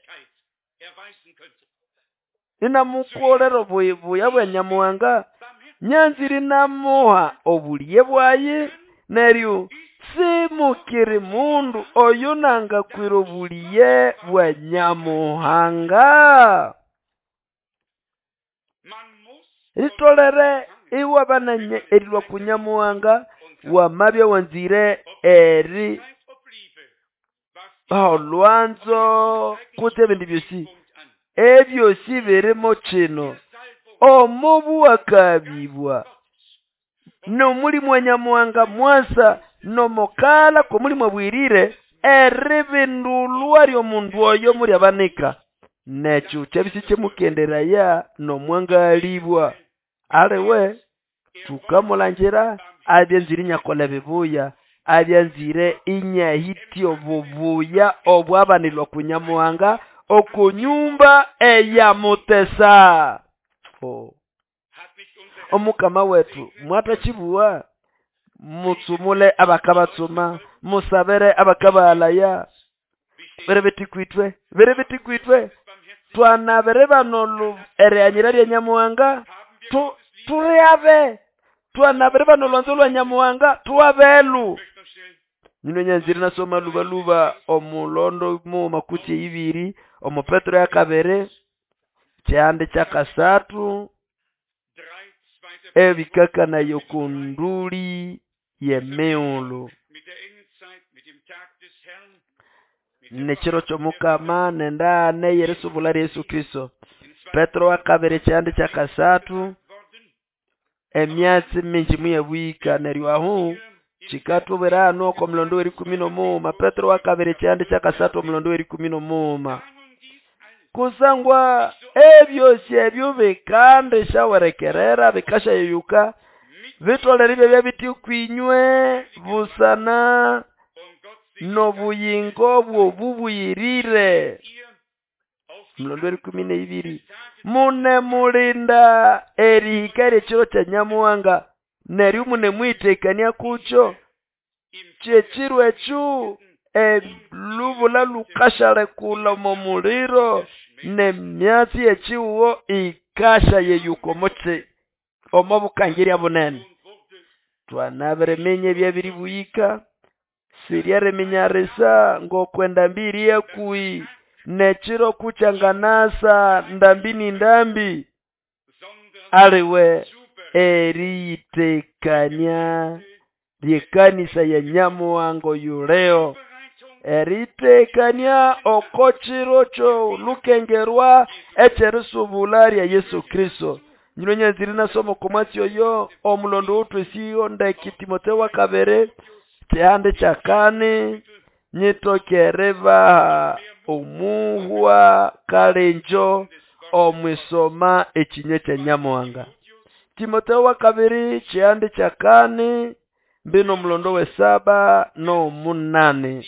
inamukolero buya bwa Nyamuhanga nyanziri namuha obuliye bwayi neryo simukiri mundu oyo nanga kwira obuliye bwa Nyamuhanga. Ritolere iwabana erilwa ku Nyamuhanga wamabya wanzire eri olwanzo kutse ebindi byosi ebyosi birimo kino omubu akabibwa nomulimu wa Nyamuhanga mwasa nomokala komulimu abwirire eribindulwa ly'omundu oyo muri abanika nekyo kyabisi kyemukenderaya nomwangalibwa aliwe tukamulangira abyanzire inyakola bibuya abyanzire inyahitya obubuya obwabanilwa ku Nyamuhanga okunyumba eyamutesa. Oh. Omukama wetu mwatachibuwa mutsumule abakabatsuma musabere abakabalaya berebetikwitwe berebetikwitwe twanabere banolu ereanyira lya Nyamuhanga tu tureabe twanabere banolwanzo lwa Nyamuhanga tuwabelu. Nino nyanziri nasoma lubaluba omulondo mu makuti ibiri omu Petro ya kabere kyande kya kasatu ebikaka nayo kunduli yemiulu nekiro ky'omukama nendane yerisubula Yesu Kristo. Petro wa kabere kyande kya kasatu emyatsi mingi muyebwika neryo ahu chikatubwera oko mulondo w'erikumi n'omuuma. Petro wa kabere kyande kya kasatu omulondo w'erikumi n'omuuma kusangwa ebyosi ebyo bikande shawerekerera bikashayeyuka bitolere ibyo byabiti kwinywe busana n'obuyingo bw'obubuyirire. Mulondo erikumi n'eibiri munemulinda erihika ly'ekiro kya Nyamuhanga neryo munemwitekania kukyo. Kyekiro ekyo elubula lukashalekula omo muliro n'emyatsi y'ekihugo ikashayeyuka omo omo bukangirya bunene. Twanabiriminya ebyabiribuyika siryeriminyarisa ngoko endambi iri hakuhi n'ekiro kukyanganasa ndambi ni ndambi aliwe eriyitekania ly'ekanisa ya Nyamuhanga oyuleo eritekania oko kiro ky'olukengerwa eky'erisubula lya Yesu Kristo. Nyino nyanzire nasoma oko mwatsi oyo omulondo w'othwesiyo ndeke Timotheo wa kabiri kihande kyakani nyitokeribaha omuhwa kalenjo omwisoma ekinywa kya Nyamuhanga. Timotheo wa kabiri kihande kyakani mbino omulondo w'esaba n'omunani.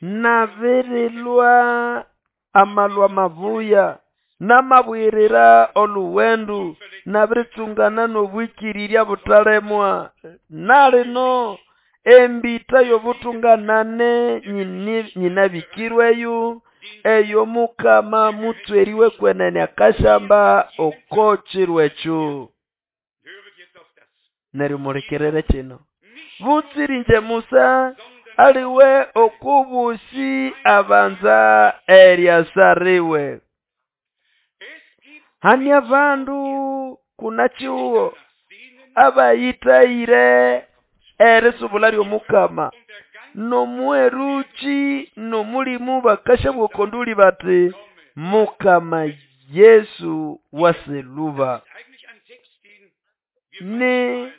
Nabirilwa amalwa mabuya namabwirira oluwendu nabiritsungana n'obwikirirya butalemwa nalino embita y'obutunganane nyinabikirweyo eyo Mukama mutsweriwe kwenene akashamba oko kiro ekyo. Neryo mulekerere kino butsirinje Musa aliwe okubusi abanza eryasariwe. Hani abandu kuna chiuwo abayitayire erisubula ly'omukama n'omweruchi n'omulimu bakashabwokonduli bati Mukama Yesu waseluba. Ni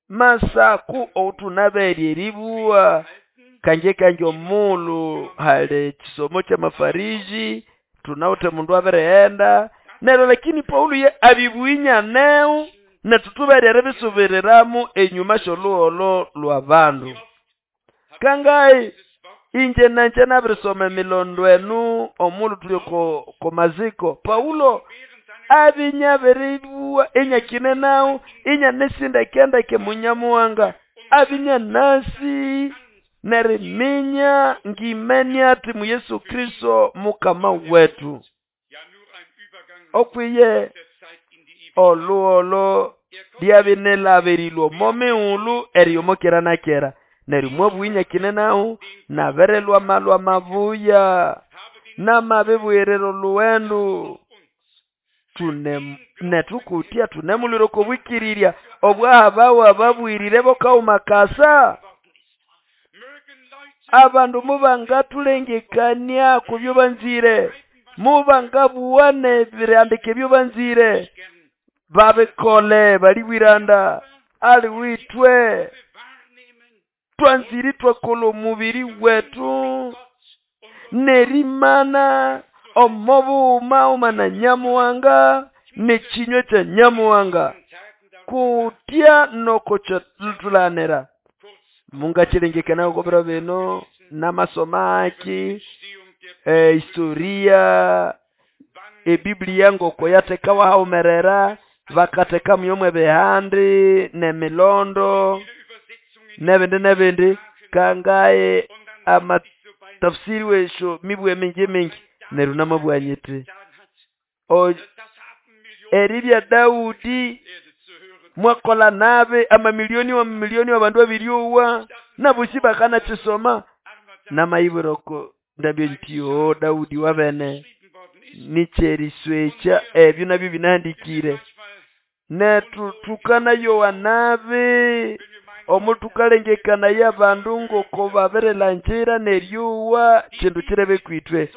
masaku otunaberye eribuwa kange kange omulu hali kisomo kya mafariji tunawuthe mundu abireghenda neryo lakini Paulo ye abibuinya neu netutuberye eribisubiriramu enyuma sy'olhugholo lw'abandu. Kangayi inje nanje nabirisoma emilondo enu omulu tuli ko, ko maziko Paulo abinyabiribuwa inyakine nawu inyanesindekendeke munyamuhanga abinya nasi neriminya ngimenya ati mu Yesu Kristo Mukama wetu. Okwiye olugholo lyabinelabirilwe omo mighulhu eriyomokera na kera neryo mwabuinya kine nawu naberelwa malwa mabuya namabibwirira oluwendu tune netukutya tunemuliro kobwikirirya obwahabawa babwirire bokauma kasa. Abandu mubangatulengekania kubyo banzire mubangabuwane birandike byo banzire babikole balibwiranda ali witwe twanziri twakola omubiri wetu nerimana omobuuma umana Nyamuhanga n'ekinywa kya Nyamuhanga kutya nokothulanira mungachilengekana okobiro bino namasoma aki e, historia ebiblia ngoko yatekawa haumerera bakateka muyomwe bihandi nemilondo nebindi nebindi kangaye amatafsiri wesho mibwe mingi mingi neryo namabwanyiti eribya Daudi mwakola nabe amamilioni wa milioni wa bandu abiryowa nabusi bakana chisoma namayibiroko ndabyo nti o Daudi wabene nicheriswecha ebyo nabyo binandikire netutukana Yohanabe omutukalengekana y'abandu ngoko babirelangira neryowa kindu kirebe kwitwe.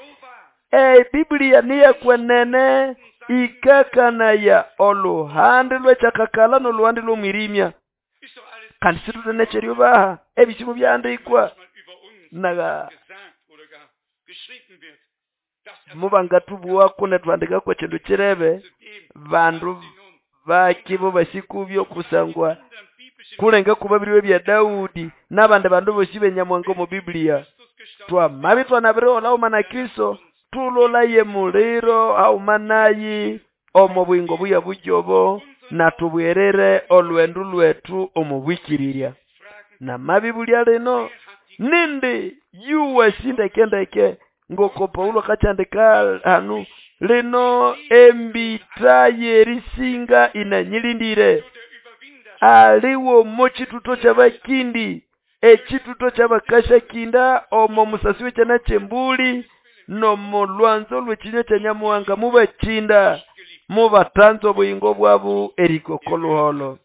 E Biblia niyakwenene ikakanaya oluhande lw'ekyakakala n'oluhande lw'omwirimya kandi situtenekyeryobaha ebisimu byandikwa naga mubangathubuwako netwandikako ekindu kirebe bandu bakibo basikubyo kusangwa Kulenge kubabiriwe bya Daudi n'abandi bandu bosi benyamuhanga omu Biblia. Twamabi twanabirihola hauma na Kristo, tulolaye muliro hauma nayi omo bwingo buya bujobo, na tubwerere olwendu lwetu omu bwikirirya. Namabi bulya lino nindi yuwa shindekendeke ngoko Paulo kachandika hanu lino embita yerisinga inanyilindire aliwo mochituto ky'abakindi ekituto ky'abakashakinda omo musasi w'ekyana ky'embuli nomo lwanzo lw'ekinywa kya Nyamuhanga mubakinda mubatanza obuyingo bwabu erikoko luholo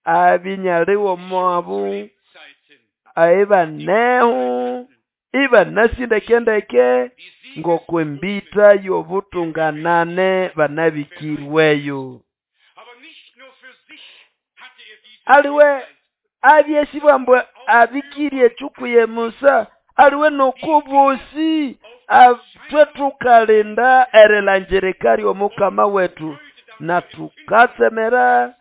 abinyaliwo mwabu aibanehu ibanasindekendeke ngokwembita y'obutunganane banabikirweyo. Aliwe abyesibwambwe abikirie chukuye Musa aliwe nokubosi atwe tukalinda erilanjirika ly'omukama wetu na tukatsemera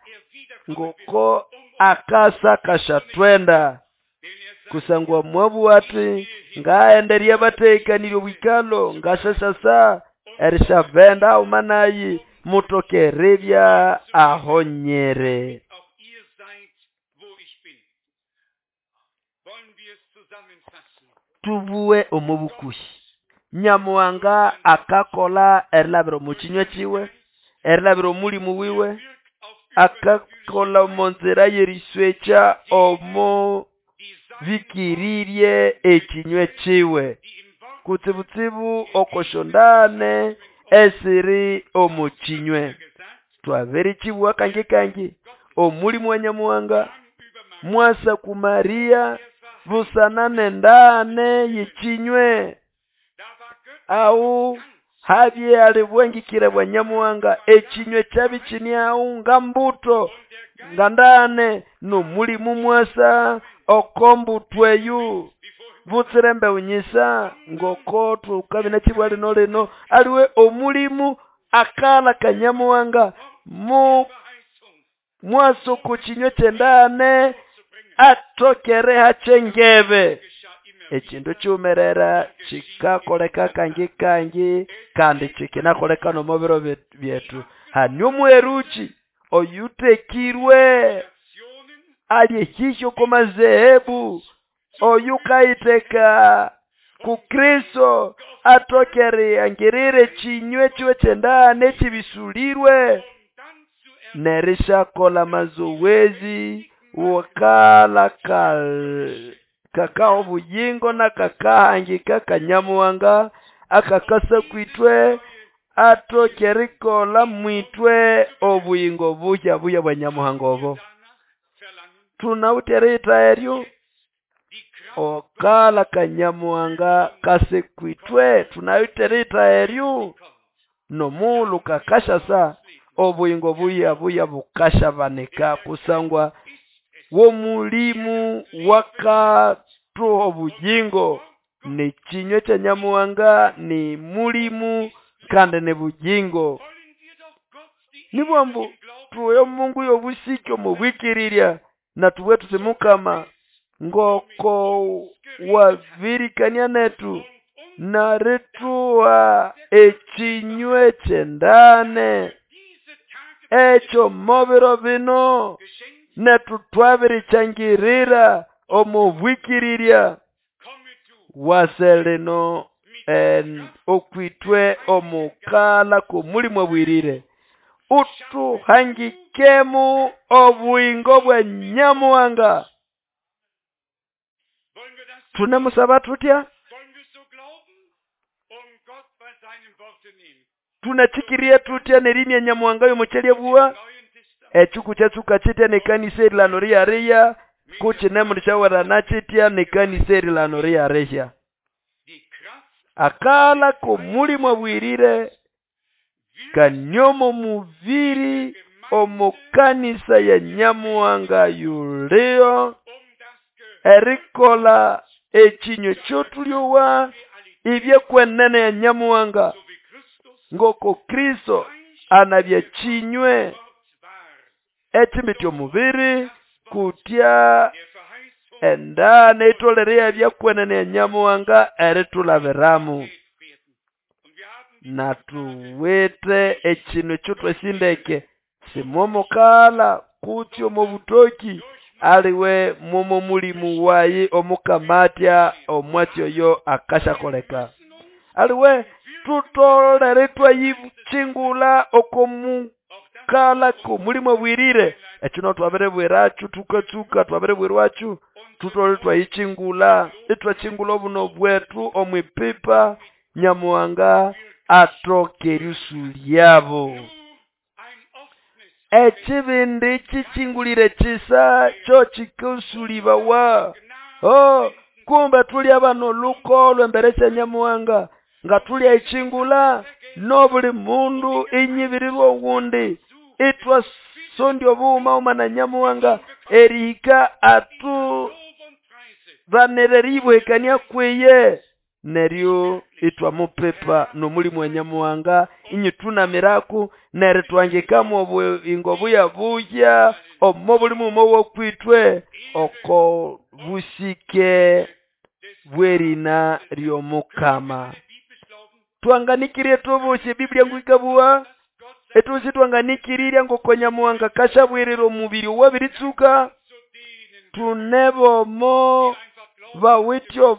ngoko akasa kashatwenda kusangwa mwabu ati ngaenderya batekanirye obwikalo ngashashasa erishavenda umanayi mutokerebya ahonyere. Tubuwe omubukushi Nyamuhanga akakola erilabira omukinywa kiwe erilabira omulimu wiwe akakola omonzira yeriswekya omo bikirirye ekinywa kiwe kutsibutsibu okoshondane esiri omukinywe. Twabirikiwa kangi kangi omulimu wa Nyamuhanga mwasa ku Maria busana nendane yikinywe au habye alibwengikire bwa Nyamuhanga ekinywe kyabichini au ngambuto ngandane nomulimu mwasa okombutweyu butsirembe unyisa ngoko tukabina kibwa lino lino aliwe omulimu akala kanyamuhanga mu mwaso kuchinywe kyendane atokere hachengebe ekindu kyumerera kikakoleka kangi kangi kandi kikinakoleka nomubiro byetu. Hani omweruchi oyutekirwe alyehisho komazehebu oyukaiteka ku Kristo atokere angirire chinywe chiwe kyendane chibisulirwe nerishakola mazowezi wakala kal kakao buyingo na kakahangika kanyamuhanga akakasa kwitwe atokerikola mwitwe obuyingo buya buya bwa Nyamuhanga obo tunawuterita eryo okala kanyamuhanga kase kwitwe tunawuterita eryo nomulu kakashasa obuyingo buya buya bukashabanika kusangwa womulimu wakatuha obujingo ni kinywa kya Nyamuhanga ni mulimu kandi ni bujingo. Nibwambu tuwe Mungu yobusiki omubwikirirya na tuwe tusimukama ngoko wabirikania netu naretuwa ekinywe kyendane ekyo mobiro bino netu twabirikyangirira omubwikirirya waseleno en okwitwe omukala kumulimu obwirire utuhangikemu obuyingo bwa Nyamuhanga. Tunemusaba tutya? Tunachikiria tutya nerimya Nyamuhanga yomuchelye buwa echuku kyatsuka chitya nekanisa erilano riyariya kuchinemulishawerana chitya nekanisa erilano riyarisha akala kumulimu obwirire kanyomo muviri omukanisa ya Nyamuhanga yulio erikola ekinywe kyotulyowa ibyekwenene ya Nyamuhanga ngoko Kristo anabye kinywe ekimbiti omubiri Kutya endana itolere yabya kwenene ya Nyamuhanga eritulabiramu. Natuwite ekinu ekyo twasindeke simomukala kutse omo butoki aliwe mwomo mulimu wayi omukamatya omwatsi oyo akasyakoleka. Aliwe tutolere twayichingula oko mukala k'omulimu abwirire. Ekyo no twabiribwiracho tukatsuka twabiribwirwacho tutolere twayichingula itwachingula obuno bwetu omwipipa Nyamuhanga atoke eriusulyabo. Ekibindi kichingulire kisa kyo kikusulibawa. Oh, kumbe tuli abana olukolo embere sya Nyamuhanga nga tuli aichingula nobuli mundu inyibirirwa owundi itwasondya obughuma uma na Nyamuhanga erihika atu banira eriyibuhekania kwiye neryo itwamupipa n'omulimu wa Nyamuhanga inyitunamiraku neryo twangikamu obuyingo buya buya omo buli mughuma wokwitwe oko busike bw'erina ly'omukama. Twanganikirie tubusi Biblia ngwikabuwa etusi twanganikirirya ngoko Nyamuhanga kashabwirira omubiri owabiritsuka tunebomo bawityo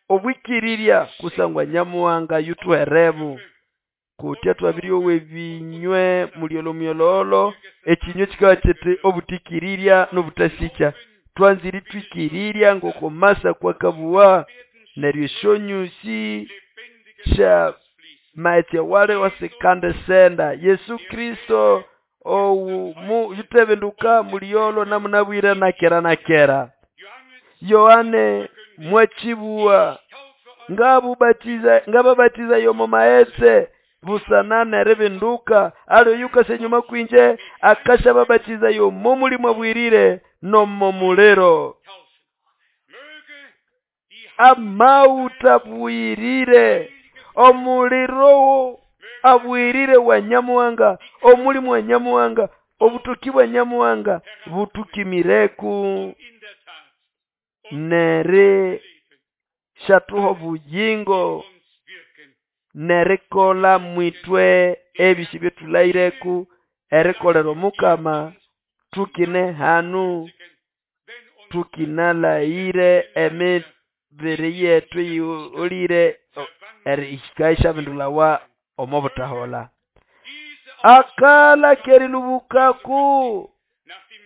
obwikirirya kusangwa Nyamuhanga yutuherebu kutya twabiryowa ebinywe mulyolo myololo ekinywe kikaba kiti obutikirirya n'obutasikya. Twanzire twikirirya ngoko masa kwakabuwa neryo esyonyusi sya maetse wale wasikande senda Yesu Kristo owu mu yutebinduka mulyolo namunabwire nakera nakera. Yohane mwachibuwa ngabubatiza ngababatiza yomo maetse busana neribinduka aliyo yukase nyuma kwinje akasha babatiza yomo mulimu abwirire nomo muliro. Amauta bwirire omuliro abwirire wa Nyamuhanga omulimu wa Nyamuhanga obutuki bwa Nyamuhanga butukimireku nere shatuho buyingo nerikola mwitwe ebisi byetulaireku erikolera omukama tukine hanu tukinalaire emibiri yetu yiolire erihikaisha bindulawa omo butahola. Akala kerilubukaku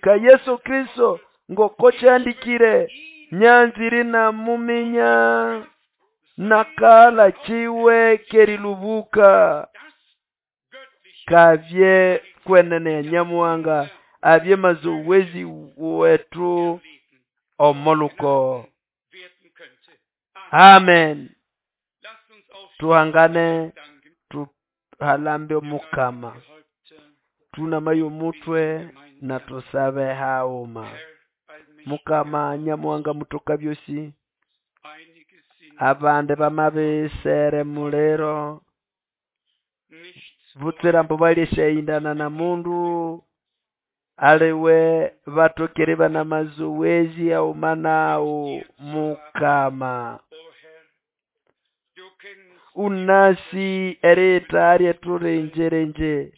ka Yesu Kristo ngoko kyandikire nyanziri na muminya nakala chiwe kerilubuka kavye kwenene ya Nyamuhanga avye mazowezi wetu omoluko. Amen. Tuhangane tuhalambe omukama tunamayo omutwe na tusabe hauma. Mukama Nyamuhanga mutoka byosi abande bamabisere mulero butsira mbu balishayindana na mundu aliwe batokere bana mazoezi aumanao mukama. Unasi erita turenjerenje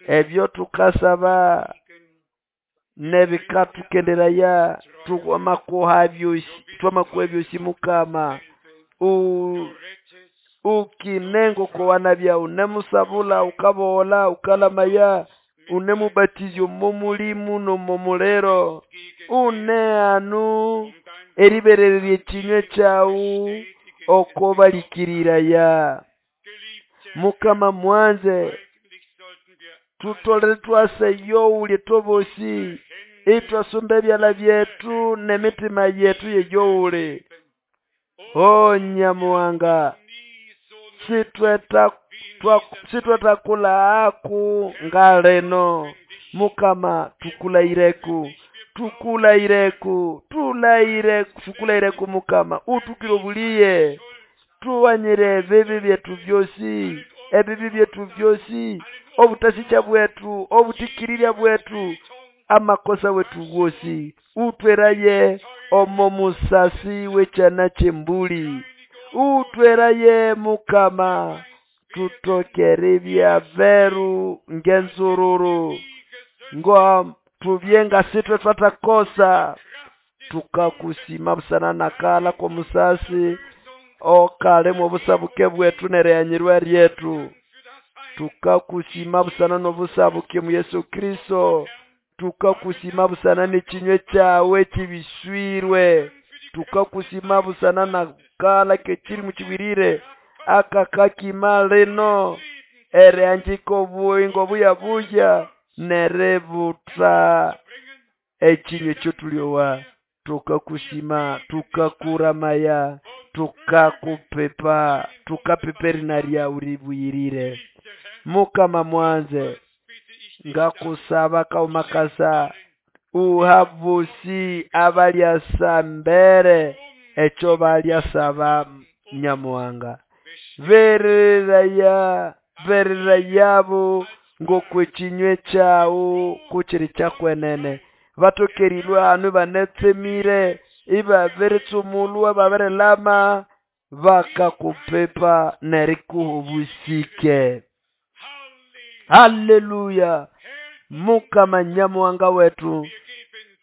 ebyo tukasaba nebikatukenderaya twamakuha byosi twamakuha byosi mukama. U ukinengo kwa wanabya unemusabula ukabola ukalamaya unemubatizo momulimu nomomulero une anu eribererye ekinywe kyawu okobalikirira mukama mwanze tutolere twase yowulye tobosi itwasumba ebyala byetu n'emitima yetu yeyowule. O Nyamuhanga sitweta sitwetakula aku ngaleno mukama tukulaireku tukulaireku tulaireku tukulaireku mukama utukire obuliye tuwanyire ebibi byetu byosi ebibi byetu byosi obutasicha bwetu obutikirirya bwetu amakosa wetu wosi utweraye omo musasi w'ekyana ky'embuli utweraye mukama tutokere bya beru ngenzururu ngo tubye nga sitwe twathakosa tukakusima busana nakala k'omusasi okalimo obusabuke bwetu n'erighanyirwa ryetu tukakusima busana n'obusabuke mu Yesu Kristo tukakusima busana n'ekinywe kyawe ekibiswirwe tukakusima busana nakala k'ekirimu kibwirire akakakima lino erihanjika obuyingo buyabuya neributha ekinywa ekyotulyowa tukakusima tukakuramaya tukakupipa tukapipa erina ryawu ribuyirire mukama mwanze ngakusaba kaumakasa uhabusi abalyasa mbere ekyo balyasaba nyamuhanga bereraya bererayabo ng'okwekinywe kyawu kukiri kyakwenene batokerilwe hanu ibanetsemire ibabiritsumulwa babirilama bakakupipa nerikuha obusike haleluya mukama nyamuhanga wetu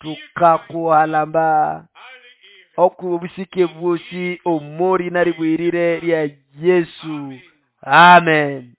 tukakuhalamba oku obusike bwosi omori naribwirire lya Yesu amen.